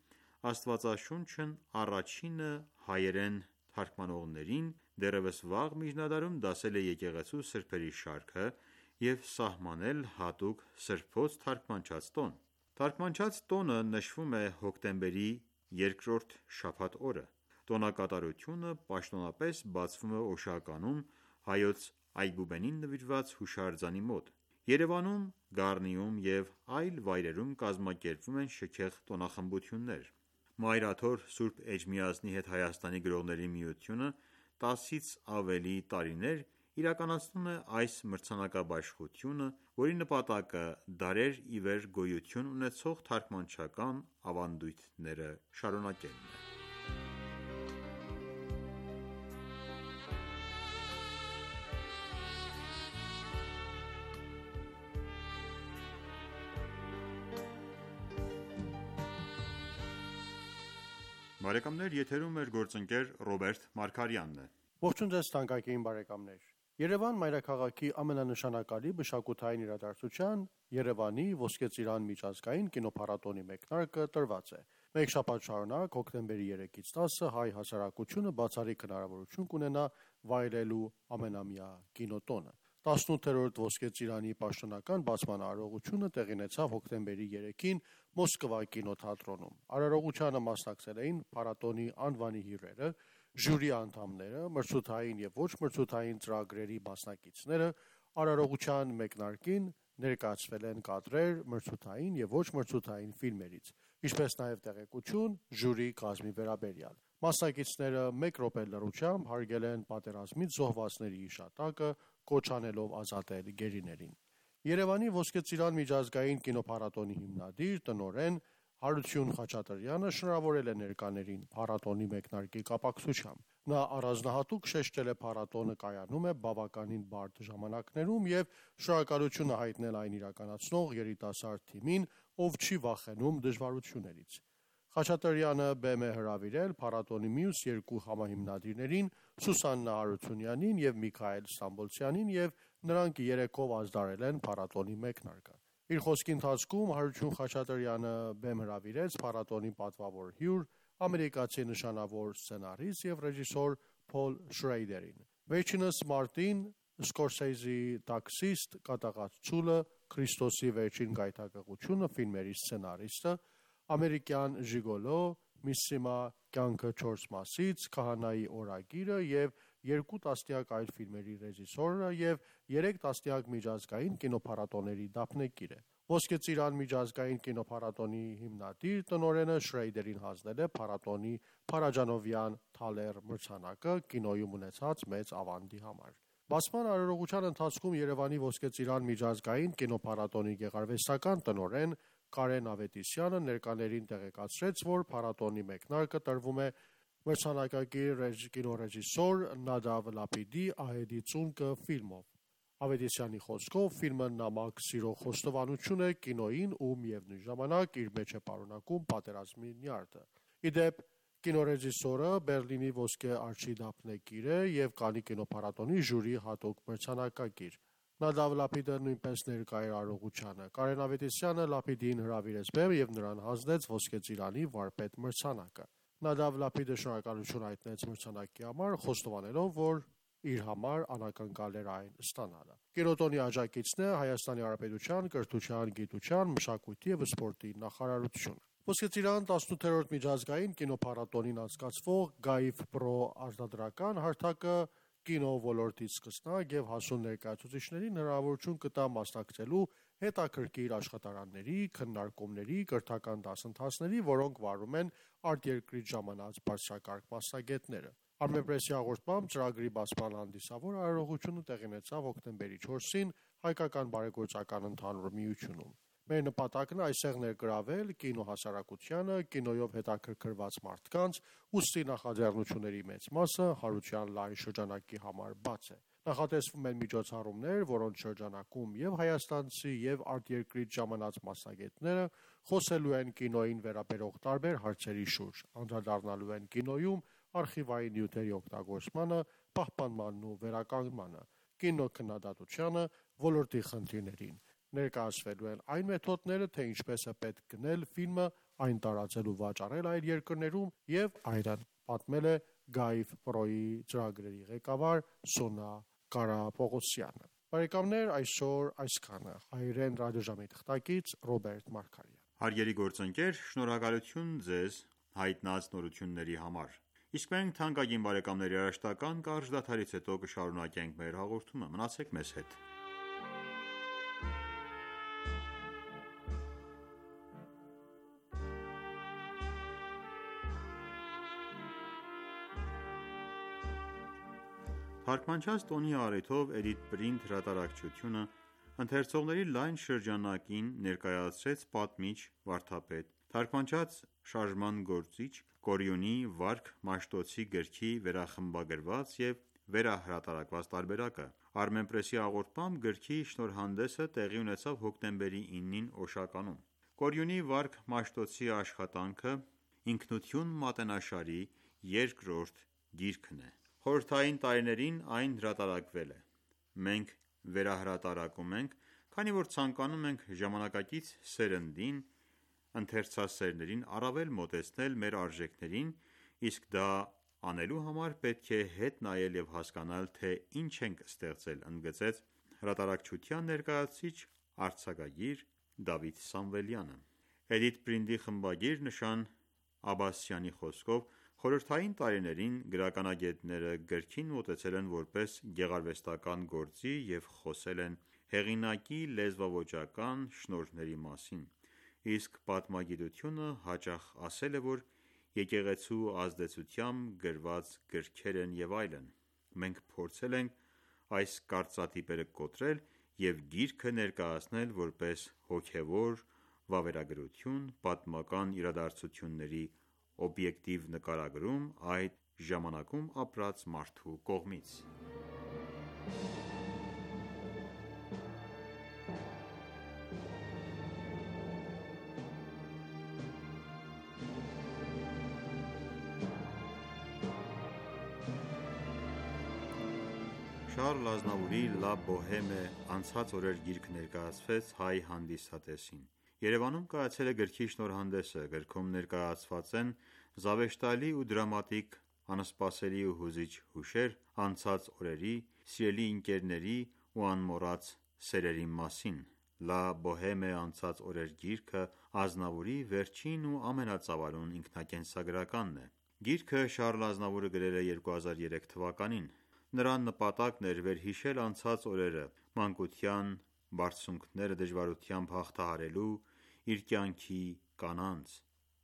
Աստվածաշունչն առաջինը հայերեն թարգմանողներին դեռևս վաղ միջնադարում դասել է եկեղեցու սրբերի շարքը և սահմանել հատուկ սրբոց թարգմանչած տոն։ Թարգմանչած տոնը նշվում է հոկտեմբերի երկրորդ շաբաթ օրը։ Տոնակատարությունը պաշտոնապես բացվում է Օշականում Հայոց Այբուբենին նվիրված հուշարձանի մոտ։ Երևանում, Գառնիում և այլ վայրերում կազմակերպվում են շքեղ տոնախմբություններ։ Մայրաթոր Սուրբ Էջմիածնի հետ Հայաստանի գրողների միությունը տասից ավելի տարիներ իրականացնում է այս մրցանակաբաշխությունը, որի նպատակը դարեր ի վեր գոյություն ունեցող թարգմանչական ավանդույթները շարունակելն է։ Բարեկամներ, եթերում մեր գործընկեր Ռոբերտ Մարգարյանն է։ Ողջույն ձեզ թանկագին բարեկամներ։ Երևան մայրաքաղաքի ամենանշանակալի մշակութային իրադարձության Երևանի Ոսկե Ծիրան միջազգային կինոփառատոնի մեկնարկը տրված է։ Մեկ շաբաթ շարունակ հոկտեմբերի երեքից տասը հայ հասարակությունը բացառիկ հնարավորություն կունենա վայելելու ամենամյա կինոտոնը։ տասնութերորդ Ոսկե Ծիրանի պաշտոնական բացման արարողությունը տեղի ունեցավ հոկտեմբերի երեքին Մոսկվա կինոթատրոնում։ Արարողությանը մասնակցել էին փառատոնի անվանի հյուրերը, ժյուրի անդամները, մրցութային և ոչ մրցութային ծրագրերի մասնակիցները։ Արարողության մեկնարկին ներկայացվել են կադրեր մրցութային և ոչ մրցութային ֆիլմերից, ինչպես նաև տեղեկություն ժյուրի կազմի վերաբերյալ։ Մասնակիցները մեկ րոպե լռությամբ հարգել են պատերազմից զոհվածների հիշատակը, կոչ անելով ազատել գերիներին։ Երևանի Ոսկե Ծիրան միջազգային կինոփառատոնի հիմնադիր, տնօրեն Հարություն Խաչատրյանը շնորհավորել է ներկաներին փառատոնի մեկնարկի կապակցությամբ։ Նա առանձնահատուկ շեշտել է փառատոնը կայանում է բավականին բարդ ժամանակներում և շնորհակալություն հայտնել այն իրականացնող երիտասարդ թիմին, ով չի վախենում դժվարություններից։ Խաչատրյանը բեմ է հրավիրել փառատոնի մյուս երկու համահիմնադիրներին՝ Սուսաննա Հարությունյանին և Միքայել Ստամբոլցյանին, և նրանք երեքով ազդարել են փառատոնի մեկնարկը։ Իր խոսքի ընթացքում Հարություն Խաչատրյանը բեմ հրավիրեց փառատոնի պատվավոր հյուր, ամերիկացի նշանավոր սցենարիստ և ռեժիսոր Փոլ Շրեյդերին։ Վերջինս մարտին Սկորսեզեի «Տաքսիստ», «Կատաղած ցուլը», «Քրիստոսի վերջին գայթակղությունը» ֆիլմերի սցենարիստը, «Ամերիկյան ժիգոլո», «Միսսիմա կյանքը չորս մասից», «Քահանայի օրագիրը» և երկու տասնյակ այլ ֆիլմերի ռեժիսորը և երեք տասնյակ միջազգային կինոփառատոների դափնեկիր է։ Ոսկե Ծիրան միջազգային կինոփառատոնի հիմնադիր տնօրենը Շրեյդերին հանձնել է փառատոնի փարաջանովյան թալեր մրցանակը կինոյում ունեցած մեծ ավանդի համար։ Բացման արարողության ընթացքում Երևանի Ոսկե Ծիրան միջազգային կինոփառատոնի գեղարվեստական տնօրեն Կարեն Ավետիսյանը ներկաներին տեղեկացրեց, որ փառատոնի մեկնարկը տրվում է մրցանակակիր կինոռեժիսոր Նադավ Լապիդի «Ահեդի ծունկը» ֆիլմով։ Ավետիսյանի խոսքով ֆիլմը նամակ սիրո խոստովանություն է կինոյին ու միևնույն ժամանակ իր մեջ է պարունակում պատերազմի նյարդը։ Ի դեպ, կինոռեժիսորը Բերլինի Ոսկե արջի դափնեկիր է և Կաննի կինոփառատոնի ժյուրի հատուկ մրցանակակիր։ Նադավ Լապիդը նույնպես ներկա էր արարողությանը։ Կարեն Ավետիսյանը Լապիդին հրավիրեց բեմ և նրան հանձնեց Ոսկե Ծիրանի վարպետ մրցանակը։ Նադավ Լապիդը շնորհակալություն հայտնեց մրցանակի համար, խոստովանելով, որ իր համար անակնկալ էր այն ստանալը։ Կինոտոնի աջակիցն է Հայաստանի Հանրապետության կրթության, գիտության, մշակույթի և սպորտի նախարարությունը։ Ոսկե Ծիրան տասնութերորդ միջազգային կինոփառատոնին անցկացվող Գայֆ Պրո արտադրական հարթակը կինո ոլորտի սկսնակ և հասուն ներկայացուցիչներին հնարավորություն կտա մասնակցելու հետաքրքիր աշխատարանների, քննարկումների, կրթական դասընթացների, որոնք վարում են արտերկրից ժամանած բարձրակարգ մասնագետները։ Armenpress-ի հաղորդմամբ ծրագրի բացման հանդիսավոր արարողությունը տեղի ունեցավ հոկտեմբերի չորսին Հայկական բարեգործական ընդհանուր միությունում։ Մեր նպատակն է այստեղ ներգրավել կինո հասարակությանը, կինոյով հետաքրքրված մարդկանց, ուստի նախաձեռնությունների մեծ մասը հարության լայն շրջանակի համար բաց է։ Նախատեսվում են միջոցառումներ, որոնց շրջանակում եւ հայաստանցի եւ արտերկրից ժամանած մասնագետները խոսելու են կինոյին վերաբերող տարբեր հարցերի շուրջ, անդրադառնալու են կինոյում արխիվային նյութերի օգտագործմանը, պահպանմանն ու վերականգնմանը, կինոքննադատությանը, ոլորտի խնդիրներին։ Ներկայացվելու են այն մեթոդները, թե ինչպես է պետք գնել ֆիլմը, այն տարածել ու վաճառել այլ երկրներում եւ այլն, պատմել է Գայվ Պրոյի ծրագրերի ղեկավար Սոնա Կարապողոսյանը։ Բարեկամներ, այսօր այսքանը։ Հայերեն ռադիոժամի թղթակից Ռոբերտ Մարգարյան։ Հարգելի գործընկեր, շնորհակալություն ձեզ հայտնած նորությունների համար։ Իսկ մենք թանկագին բարեկամների երաժշտական կարճ դադարից հետո կշարունակենք մեր հաղորդումը։ Մնացեք մեզ հետ։ Թարգմանչած տոնի առիթով Էդիթ Պրինտ հրատարակչությունը ընթերցողների լայն շրջանակին ներկայացրեց պատմիչ, վարդապետ, թարգմանչած շարժման գործիչ Կորյունի «Վարք Մաշտոցի» գրքի վերախմբագրված և վերահրատարակված տարբերակը։ Armenpress-ի հաղորդմամբ գրքի շնորհանդեսը տեղի ունեցավ հոկտեմբերի իննին Օշականում։ Կորյունի «Վարք Մաշտոցի» աշխատանքը «Ինքնություն» մատենաշարի երկրորդ գիրքն է։ Խորհրդային տարիներին այն հրատարակվել է։ Մենք վերահրատարակում ենք, քանի որ ցանկանում ենք ժամանակակից սերնդին, ընթերցասերներին առավել մոտեցնել մեր արժեքներին, իսկ դա անելու համար պետք է հետ նայել և հասկանալ, թե ինչ ենք ստեղծել, ընդգծեց հրատարակչության ներկայացուցիչ, արձակագիր Դավիթ Սամվելյանը։ Էդիթ Պրինտի խմբագիր Նշան Աբասյանի խոսքով, խորհրդային տարիներին գրականագետները գրքին մոտեցել են որպես գեղարվեստական գործի և խոսել են հեղինակի լեզվաոճական շնորհների մասին, իսկ պատմագիտությունը հաճախ ասել է, որ եկեղեցու ազդեցությամբ գրված գրքեր են և այլն։ Մենք փորձել ենք այս կարծրատիպերը կոտրել և գիրքը ներկայացնել որպես հոգևոր վավերագրություն, պատմական իրադարձությունների օբյեկտիվ նկարագրում այդ ժամանակում ապրած մարդու կողմից։ Շարլ Ազնավուրի «Լա Բոհեմե» անցած օրեր գիրքը ներկայացվեց հայ հանդիսատեսին։ Երևանում կայացել է գրքի շնորհանդեսը։ Գրքում ներկայացված են զավեշտալի ու դրամատիկ, անսպասելի ու հուզիչ հուշեր անցած օրերի, սիրելի ընկերների ու անմոռաց սերերի մասին։ «Լա Բոհեմե» անցած օրեր գիրքը Ազնավուրի վերջին ու ամենածավալուն ինքնակենսագրականն է։ Գիրքը Շարլ Ազնավուրը գրել է երկու հազար երեք թվականին։ Նրա նպատակն էր վերհիշել անցած օրերը, մանկության բարձունքները դժվարությամբ հաղթահարելու իր կյանքի կանանց։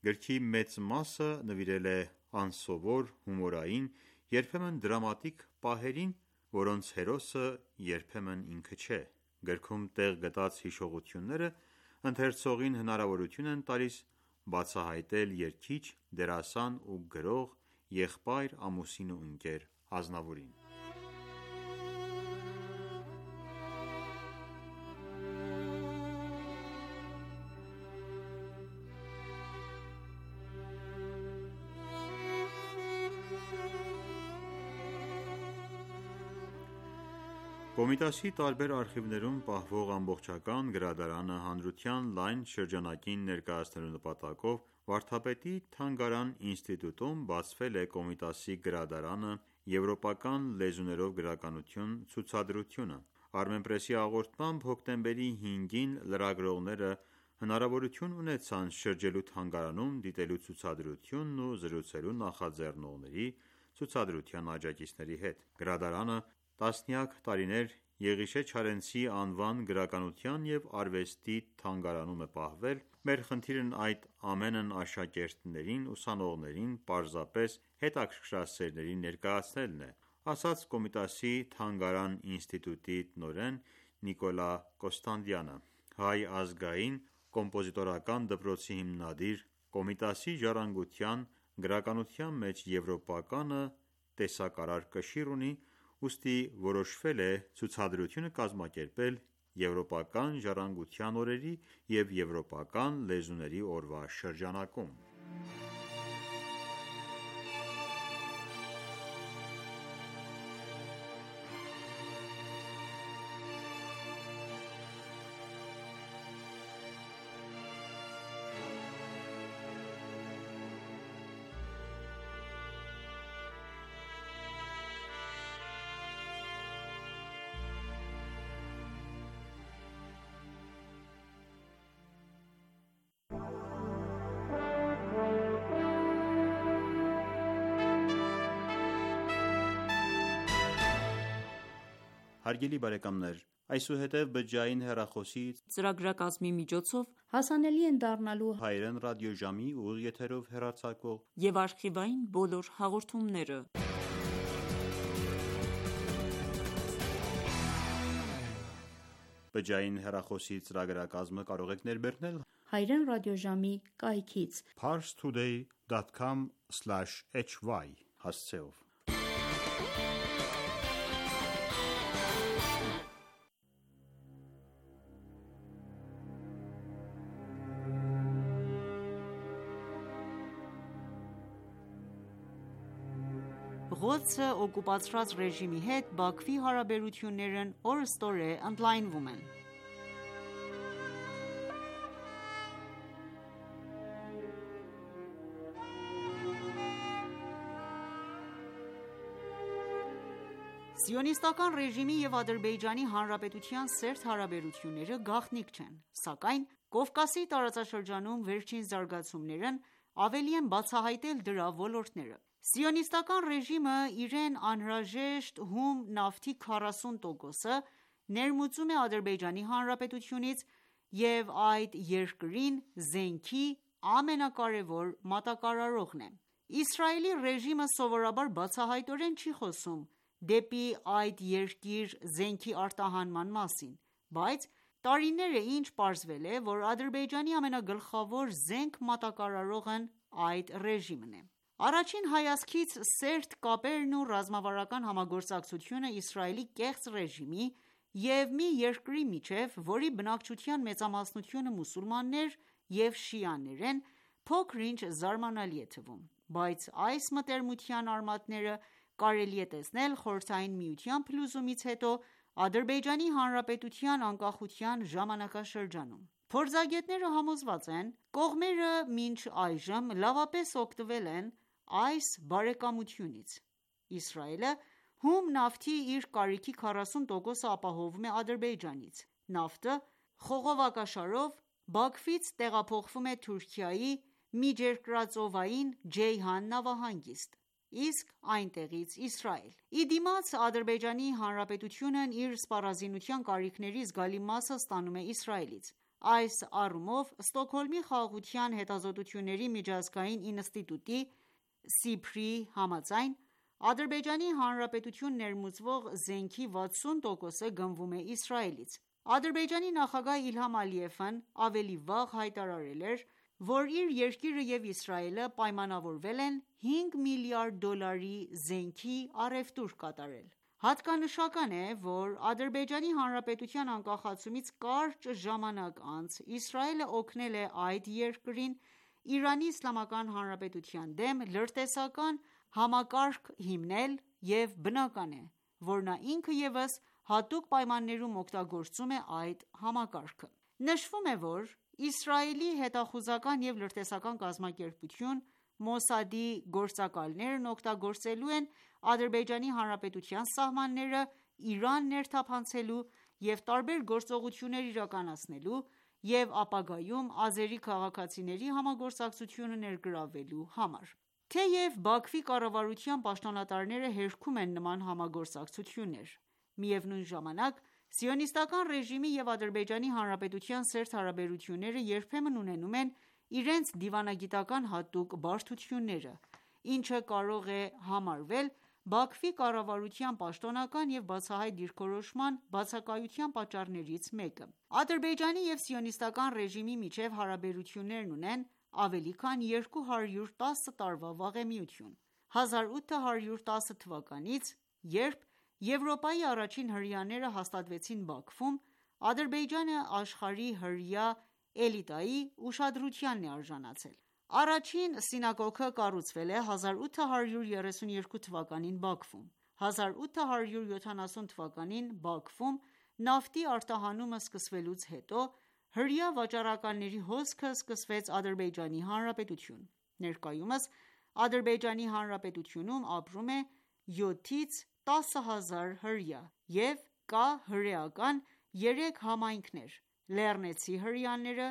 Գրքի մեծ մասը նվիրել է անսովոր, հումորային, երբեմն դրամատիկ պահերին, որոնց հերոսը երբեմն ինքը չէ։ Գրքում տեղ գտած հիշողությունները ընթերցողին հնարավորություն են տալիս բացահայտել երգիչ, դերասան ու գրող, եղբայր, ամուսին ու ընկեր Ազնավուրին։ Կոմիտասի տարբեր արխիվներում պահվող ամբողջական գրադարանը հանրության լայն շրջանակին ներկայացնելու նպատակով վարդապետի թանգարան ինստիտուտում բացվել է Կոմիտասի գրադարանը «Եվրոպական լեզուներով գրականություն» ցուցադրությունը։ Armenpress-ի հաղորդմամբ հոկտեմբերի հինգին լրագրողները հնարավորություն ունեցան շրջելու թանգարանում, դիտելու ցուցադրությունն ու զրուցելու նախաձեռնողների, ցուցադրության աջակիցների հետ։ Գրադարանը տասնյակ տարիներ Եղիշե Չարենցի անվան գրականության և արվեստի թանգարանում է պահվել։ Մեր խնդիրն այդ ամենն աշակերտներին, ուսանողներին, պարզապես հետաքրքրասերներին ներկայացնելն է, ասաց Կոմիտասի թանգարան ինստիտուտի տնօրեն Նիկոլա Կոստանդյանը։ Հայ ազգային կոմպոզիտորական դպրոցի հիմնադիր, Կոմիտասի ժառանգության գրականության մեջ եվրոպականը տեսակարար կշիռ ունի, ուստի որոշվել է ցուցադրությունը կազմակերպել Եվրոպական ժառանգության օրերի և Եվրոպական լեզուների օրվա շրջանակում։ Հարգելի բարեկամներ, այսուհետև բջջային հեռախոսի ծրագրակազմի միջոցով հասանելի են դառնալու հայերեն ռադիոժամի ուղիղ եթերով հեռարձակվող և արխիվային բոլոր հաղորդումները։ Բջջային հեռախոսի ծրագրակազմը կարող եք ներբեռնել հայերեն ռադիոժամի կայքից parstoday dot com slash h y հասցեով։ Ղոդսը օկուպացրած ռեժիմի հետ Բաքվի հարաբերություններն օրըստօրե ընդլայնվում են։ Սիոնիստական ռեժիմի և Ադրբեջանի Հանրապետության սերտ հարաբերությունները գաղտնիք չեն, սակայն Կովկասի տարածաշրջանում վերջին զարգացումներն ավելի են բացահայտել դրա ոլորտները։ Սիոնիստական ռեժիմը իրեն անհրաժեշտ հում նավթի քառասուն տոկոսը ներմուծում է Ադրբեջանի Հանրապետությունից և այդ երկրին զենքի ամենակարևոր մատակարարողն է։ Իսրայելի ռեժիմը սովորաբար բացահայտորեն չի խոսում դեպի այդ երկիր զենքի արտահանման մասին, բայց տարիներ է ինչ պարզվել է, որ Ադրբեջանի ամենագլխավոր զենք մատակարարողն այդ ռեժիմն է։ Առաջին հայացքից սերտ կապերն ու ռազմավարական համագործակցությունը Իսրայելի կեղծ ռեժիմի և մի երկրի միջև, որի բնակչության մեծամասնությունը մուսուլմաններ և շիաներ են, փոքր-ինչ զարմանալի է թվում, բայց այս մտերմության արմատները կարելի է տեսնել Խորհրդային Միության փլուզումից հետո Ադրբեջանի Հանրապետության անկախության ժամանակաշրջանում։ Փորձագետները համոզված են, կողմերը մինչ այժմ լավապես օգտվել են այս բարեկամությունից։ Իսրայելը հում նավթի իր կարիքի քառասուն տոկոսը ապահովում է Ադրբեջանից։ Նավթը խողովակաշարով Բաքվից տեղափոխվում է Թուրքիայի միջերկրածովային Ջեյհան նավահանգիստ, իսկ այնտեղից Իսրայել։ Ի դիմաց Ադրբեջանի Հանրապետությունն իր սպառազինության կարիքների զգալի մասը ստանում է Իսրայելից։ Այս առումով Ստոկհոլմի Խաղաղության հետազոտությունների միջազգային ինստիտուտի (սիփրի) համաձայն, Ադրբեջանի Հանրապետություն ներմուծվող զենքի վաթսուն տոկոսը գնվում է Իսրայելից։ Ադրբեջանի նախագահ Իլհամ Ալիևն ավելի վաղ հայտարարել էր, որ իր երկիրը և Իսրայելը պայմանավորվել են հինգ միլիարդ դոլարի զենքի առևտուր կատարել։ Հատկանշական է, որ Ադրբեջանի Հանրապետության անկախացումից կարճ ժամանակ անց Իսրայելը օգնել է այդ երկրին Իրանի Իսլամական Հանրապետության դեմ լրտեսական համակարգ հիմնել և բնական է, որ նա ինքը ևս հատուկ պայմաններում օգտագործում է այդ համակարգը։ Նշվում է, որ Իսրայելի հետախուզական և լրտեսական կազմակերպություն Մոսադի գործակալներն օգտագործելու են Ադրբեջանի Հանրապետության սահմանները Իրան ներթափանցելու և տարբեր գործողություններ իրականացնելու և ապագայում ազերի քաղաքացիների համագործակցությունը ներգրավելու համար։ Թեև Բաքվի կառավարության պաշտոնատարները հերքում են նման համագործակցություններ, միևնույն ժամանակ Սիոնիստական ռեժիմի և Ադրբեջանի Հանրապետության սերտ հարաբերությունները երբեմն ունենում են իրենց դիվանագիտական հատուկ բարդությունները, ինչը կարող է համարվել Բաքվի կառավարության պաշտոնական և բացահայտ դիրքորոշման բացակայության պատճառներից մեկը։ Ադրբեջանի և Սիոնիստական ռեժիմի միջև հարաբերություններն ունեն ավելի քան երկու հարյուր տասը տարվա վաղեմիություն։ հազար ութ հարյուր տասը թվականից, երբ Եվրոպայի առաջին հրեաները հաստատվեցին Բաքվում, Ադրբեջանը աշխարհի հրեա էլիտայի ուշադրությանն է արժանացել։ Առաջին սինագոգը կառուցվել է հազար ութ հարյուր երեսուն երկու թվականին Բաքվում։ հազար ութ հարյուր յոթանասուն թվականին Բաքվում նավթի արտահանումը սկսվելուց հետո հրեա վաճառականների հոսքը սկսվեց Ադրբեջանի Հանրապետություն։ Ներկայումս Ադրբեջանի Հանրապետությունում ապրում է յոթից տասը հազար հրեա և կա հրեական երեք համայնքներ՝ լեռնեցի հրեաները,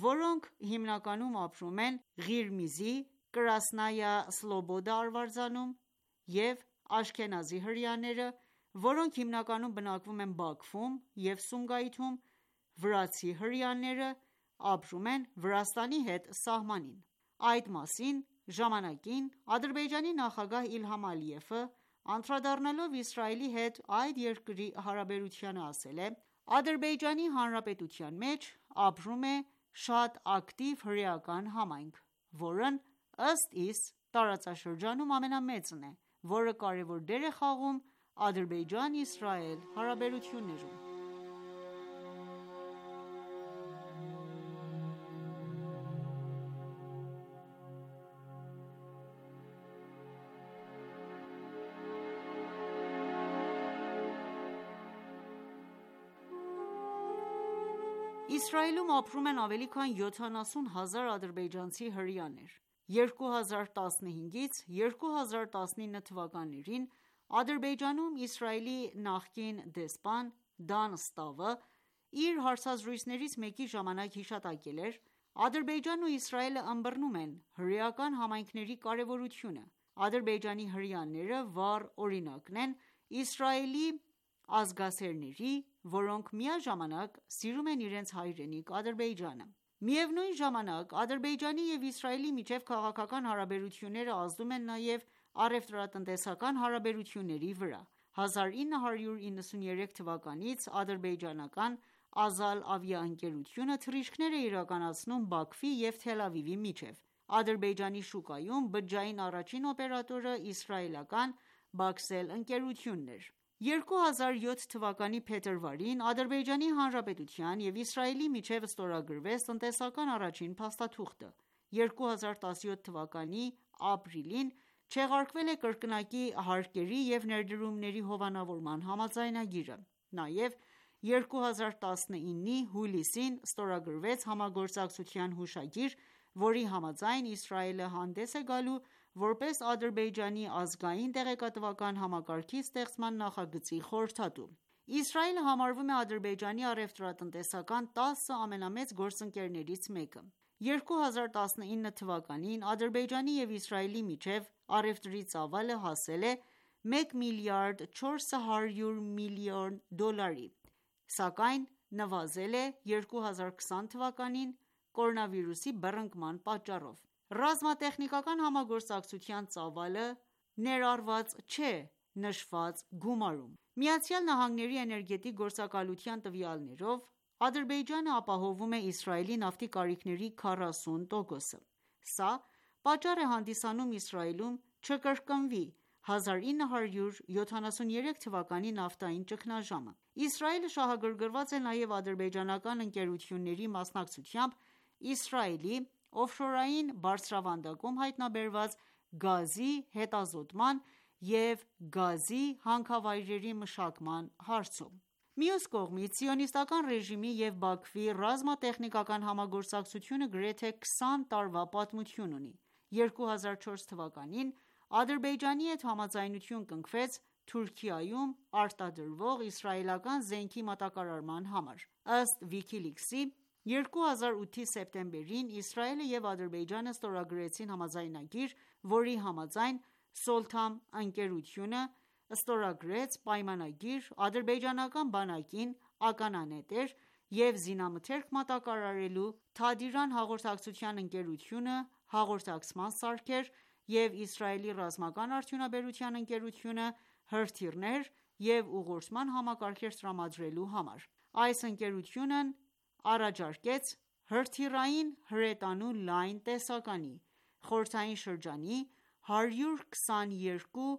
որոնք հիմնականում ապրում են Ղիրմիզի, Կրասնայա Սլոբոդա արվարձանում, և աշքենազի հրեաները, որոնք հիմնականում բնակվում են Բաքվում և Սումգայիթում, վրացի հրեաները ապրում են Վրաստանի հետ սահմանին։ Այդ մասին ժամանակին Ադրբեջանի նախագահ Իլհամ Ալիևը, անդրադառնալով Իսրայելի հետ այդ երկրի հարաբերությանը, ասել է.«Ադրբեջանի Հանրապետության մեջ ապրում է շատ ակտիվ հրեական համայնք, որն ըստ իս տարածաշրջանում ամենամեծն է, որը կարևոր դեր է խաղում Ադրբեջան-Իսրայել հարաբերություններում»։ Իսրայելում ապրում են ավելի քան յոթանասուն հազար ադրբեջանցի հրեաներ։ երկու հազար տասնհինգից երկու հազար տասնինը թվականներին Ադրբեջանում Իսրայելի նախկին դեսպան Դան Ստավը իր հարցազրույցներից մեկի ժամանակ հիշատակել էր.«Ադրբեջանն ու Իսրայելը ըմբռնում են հրեական համայնքների կարևորությունը։ Ադրբեջանի հրեաները վառ օրինակն են Իսրայելի ազգասերների, որոնք միաժամանակ սիրում են իրենց հայրենիք Ադրբեջանը»։ Միևնույն ժամանակ Ադրբեջանի և Իսրայելի միջև քաղաքական հարաբերությունները ազդում են նաև առևտրատնտեսական հարաբերությունների վրա։ հազար ինը հարյուր իննսունյերեք թվականից ադրբեջանական «Ազալ» ավիաընկերությունը թռիչքներ է իրականացնում Բաքվի և Թել Ավիվի միջև։ Ադրբեջանի շուկայում բջջային առաջին օպերատորը իսրայելական «Բաքսել» ընկերությունն էր։ երկու հազար յոթ թվականի փետրվարին Ադրբեջանի Հանրապետության և Իսրայելի միջև ստորագրվեց տնտեսական առաջին փաստաթուղթը։ երկու հազար տասնյոթ թվականի ապրիլին չեղարկվել է կրկնակի հարկերի և ներդրումների հովանավորման համաձայնագիրը։ Նաև երկու հազար տասնինի հուլիսին ստորագրվեց համագործակցության հուշագիր, որի համաձայն Իսրայելը հանդես է գալու որպես Ադրբեջանի ազգային տեղեկատվական համակարգի ստեղծման նախագծի խորհրդատու։ Իսրայելը համարվում է Ադրբեջանի առևտրատնտեսական տասը ամենամեծ գործընկերներից մեկը։ երկու հազար տասնինը թվականին Ադրբեջանի և Իսրայելի միջև առևտրի ծավալը հասել է մեկ միլիարդ չորս հարյուր միլիոն դոլարի, սակայն նվազել է երկու հազար քսան թվականին կորոնավիրուսի բռնկման պատճառով։ Ռազմատեխնիկական համագործակցության ծավալը ներառված չէ նշված գումարում։ ԱՄՆ-ի էներգետիկ գործակալության տվյալներով Ադրբեջանը ապահովում է Իսրայելի նավթի կարիքների քառասուն տոկոսը։ Սա պատճառ է հանդիսանում Իսրայելում չկրկնվի հազար ինը հարյուր յոթանասունյերեք թվականի նավթային ճգնաժամը։ Իսրայելը շահագրգռված է նաև ադրբեջանական ընկերությունների մասնակցությամբ Իսրայելի օֆշորային բարձրավանդակում հայտնաբերված գազի հետազոտման և գազի հանքավայրերի մշակման հարցում։ Մյուս կողմից, Սիոնիստական ռեժիմի և Բաքվի ռազմատեխնիկական համագործակցությունը գրեթե քսան տարվա պատմություն ունի։ երկու հազար չորս թվականին Ադրբեջանի հետ համաձայնություն կնքվեց Թուրքիայում արտադրվող իսրայելական զենքի մատակարարման համար։ Ըստ WikiLeaks-ի, երկու հազար ութի սեպտեմբերին Իսրայելը և Ադրբեջանը ստորագրեցին համաձայնագիր, որի համաձայն Սոլթամ ընկերությունը ստորագրեց պայմանագիր ադրբեջանական բանակին ականանետեր և զինամթերք մատակարարելու, Թադիրան հաղորդակցության ընկերությունը հաղորդակցման սարքեր և Իսրայելի ռազմական արդյունաբերության ընկերությունը հրթիռներ և ուղղորդման համակարգեր տրամադրելու համար: Այս ընկերությունն առաջարկեց հրթիռային հրետանու լայն տեսականի, խորհրդային շրջանի հարյուր քսաներկու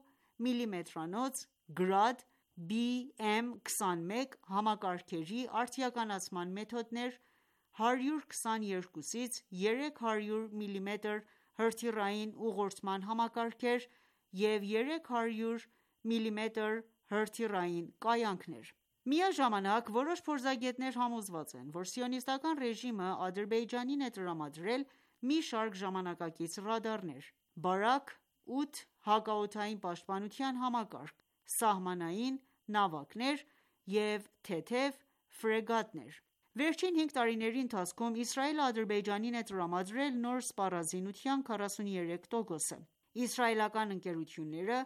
միլիմետրանոց Grad B M քսանմեկ համակարգերի արդիականացման մեթոդներ, հարյուր քսաներկուից երեք հարյուր միլիմետր հրթիռային ուղղորդման համակարգեր և երեք հարյուր միլիմետր հրթիռային կայանքներ: Միաժամանակ որոշ փորձագետներ համոզված են, որ Սիոնիստական ռեժիմը Ադրբեջանին է տրամադրել մի շարք ժամանակակից ռադարներ, Բարակ ութ հակաօդային պաշտպանության համակարգ, սահմանային նավակներ և թեթև ֆրեգատներ: Վերջին հինգ տարիների ընթացքում Իսրայելը Ադրբեջանին է տրամադրել նոր սպառազինության քառասուներեք տոկոսը: Իսրայելական ընկերությունները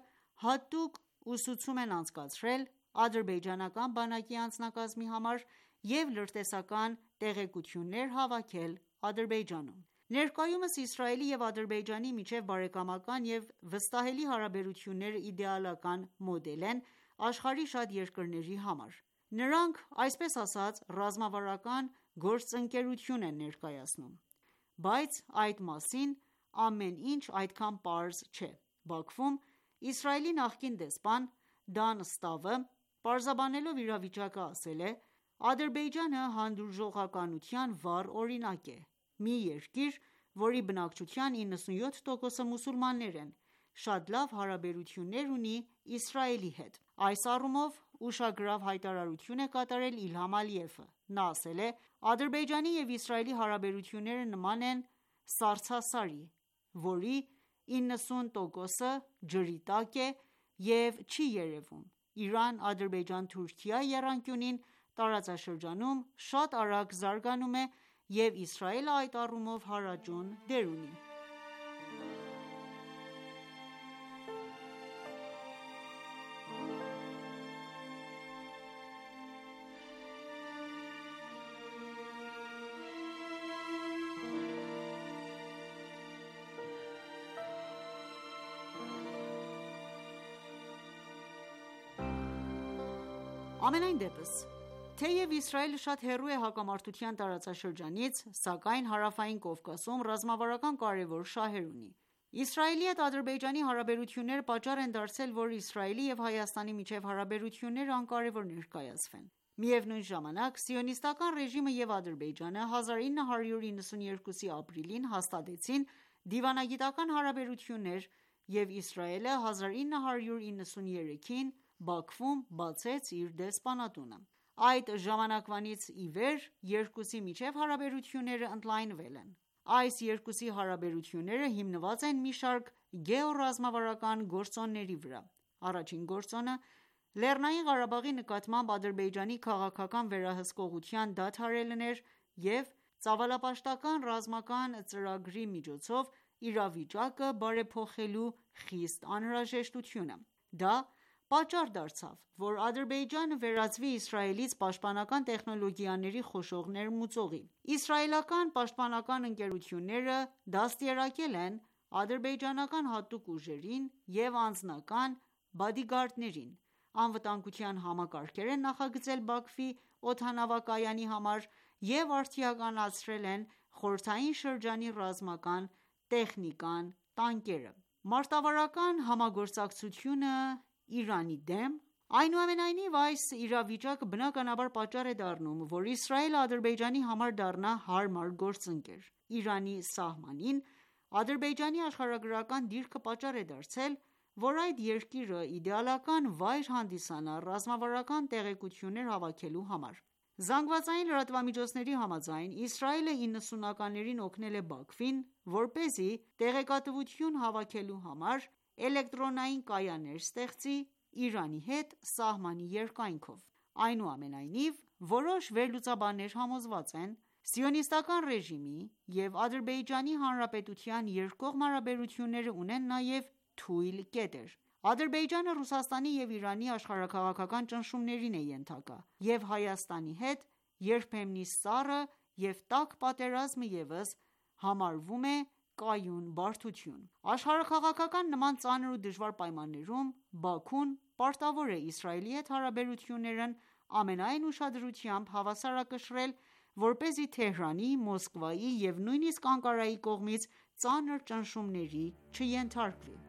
հատուկ ուսուցում են անցկացրել ադրբեջանական բանակի անձնակազմի համար և լրտեսական տեղեկություններ հավաքել Ադրբեջանում: Ներկայումս Իսրայելի և Ադրբեջանի միջև բարեկամական և վստահելի հարաբերությունները իդեալական մոդել են աշխարհի շատ երկրների համար: Նրանք այսպես ասած ռազմավարական գործընկերություն են ներկայացնում: Բայց այդ մասին ամեն ինչ այդքան պարզ չէ: Բաքվում Իսրայելի նախկին դեսպան Դան Ստավը պարզաբանելով իրավիճակը ասել է. «Ադրբեջանը հանդուրժողականության վառ օրինակ է: Մի երկիր, որի բնակչության իննսունյոթ տոկոսը մուսուլմաններ են, շատ լավ հարաբերություններ ունի Իսրայելի հետ: Այս առումով ուշագրավ հայտարարություն է կատարել Իլհամ Ալիևը: Նա ասել է. «Ադրբեջանի և Իսրայելի հարաբերությունները նման են սառցասարի, որի իննսուն տոկոսը ջրի տակ է և չի երևում: Իրան-Ադրբեջան-Թուրքիա եռանկյունին տարածաշրջանում շատ արագ զարգանում է և Իսրայելը այդ առումով հարաճուն դեր ունի»: Համենայնդեպս, թեև Իսրայելը շատ հեռու է հակամարտության տարածաշրջանից, սակայն Հարավային Կովկասում ռազմավարական կարևոր շահեր ունի: Իսրայելի հետ Ադրբեջանի հարաբերությունները պատճառ են դարձել, որ Իսրայելի և Հայաստանի միջև հարաբերությունները անկարևոր ներկայացվեն: Միևնույն ժամանակ, Սիոնիստական ռեժիմը և Ադրբեջանը հազար ինը հարյուր իննսուներկուսի ապրիլին հաստատեցին դիվանագիտական հարաբերություններ և Իսրայելը հազար ինը հարյուր իննսուներեքին Բաքվում բացեց իր դեսպանատունը: Այդ ժամանակվանից ի վեր երկուսի միջև հարաբերությունները ընդլայնվել են: Այս երկուսի հարաբերությունները հիմնված են մի շարք գեոռազմավարական գործոնների վրա: Առաջին գործոնը Լեռնային Ղարաբաղի նկատմամբ Ադրբեջանի քաղաքական վերահսկողության դադարելն էր և ծավալապաշտական ռազմական ծրագրի միջոցով իրավիճակը բարեփոխելու խիստ անհրաժեշտությունը: Դա պատճառ դարձավ, որ Ադրբեջանը վերածվի Իսրայելից պաշտպանական տեխնոլոգիաների խոշոր ներմուծողի: Իսրայելական պաշտպանական ընկերությունները դաստիարակել են ադրբեջանական հատուկ ուժերին և անձնական բադիգարդներին, անվտանգության համակարգեր են նախագծել Բաքվի օդանավակայանի համար և արդիականացրել են խորհրդային շրջանի ռազմական տեխնիկան, տանկերը: Մարտավարական համագործակցությունը Իրանի դեմ: Այնուամենայնիվ, այս իրավիճակը բնականաբար պատճառ է դառնում, որ Իսրայելը Ադրբեջանի համար դառնա հարմար գործընկեր: Իրանի սահմանին Ադրբեջանի աշխարհագրական դիրքը պատճառ է դարձել, որ այդ երկիրը իդեալական վայր հանդիսանա ռազմավարական տեղեկություններ հավաքելու համար: ԶԼՄ-ների համաձայն, Իսրայելը իննսունականներին օգնել է Բաքվին, որպեսզի տեղեկատվություն հավաքելու համար էլեկտրոնային կայաններ ստեղծի Իրանի հետ սահմանի երկայնքով: Այնուամենայնիվ, որոշ վերլուծաբաններ համոզված են. Սիոնիստական ռեժիմի և Ադրբեջանի Հանրապետության երկկողմ հարաբերությունները ունեն նաև թույլ կետեր: Ադրբեջանը Ռուսաստանի և Իրանի աշխարհաքաղաքական ճնշումներին է ենթակա, և Հայաստանի հետ երբեմնի սառը և տաք պատերազմը ևս համարվում է կայուն բարդություն: Աշխարհաքաղաքական նման ծանր ու դժվար պայմաններում Բաքուն պարտավոր է Իսրայելի հետ հարաբերություններն ամենայն ուշադրությամբ հավասարակշռել, որպեսզի Թեհրանի, Մոսկվայի և նույնիսկ Անկարայի կողմից ծանր ճնշումների չենթարկվի: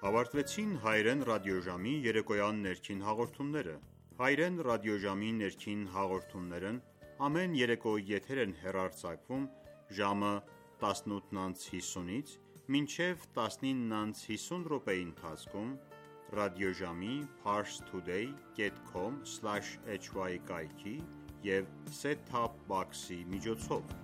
Ավարտվեցին հայերեն ռադիոժամի երեկոյան ներքին հաղորդումները: Հայերեն ռադիոժամի ներքին հաղորդումներն ամեն երեկո եթեր են հեռարձակվում ժամը տասնութ անց հիսունից մինչև տասնինը անց հիսուն րոպեի ընթացքում ռադիոժամի parstoday dot com slash h y կայքի և set-top box-ի միջոցով: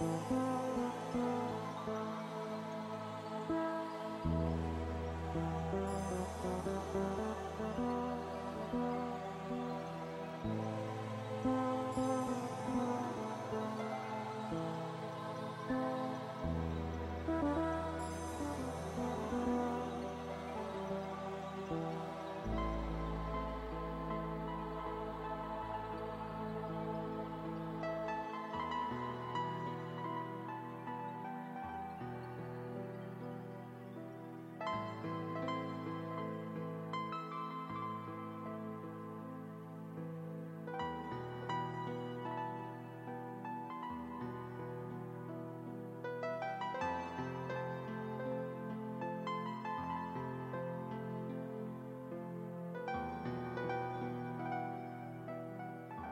Thank you.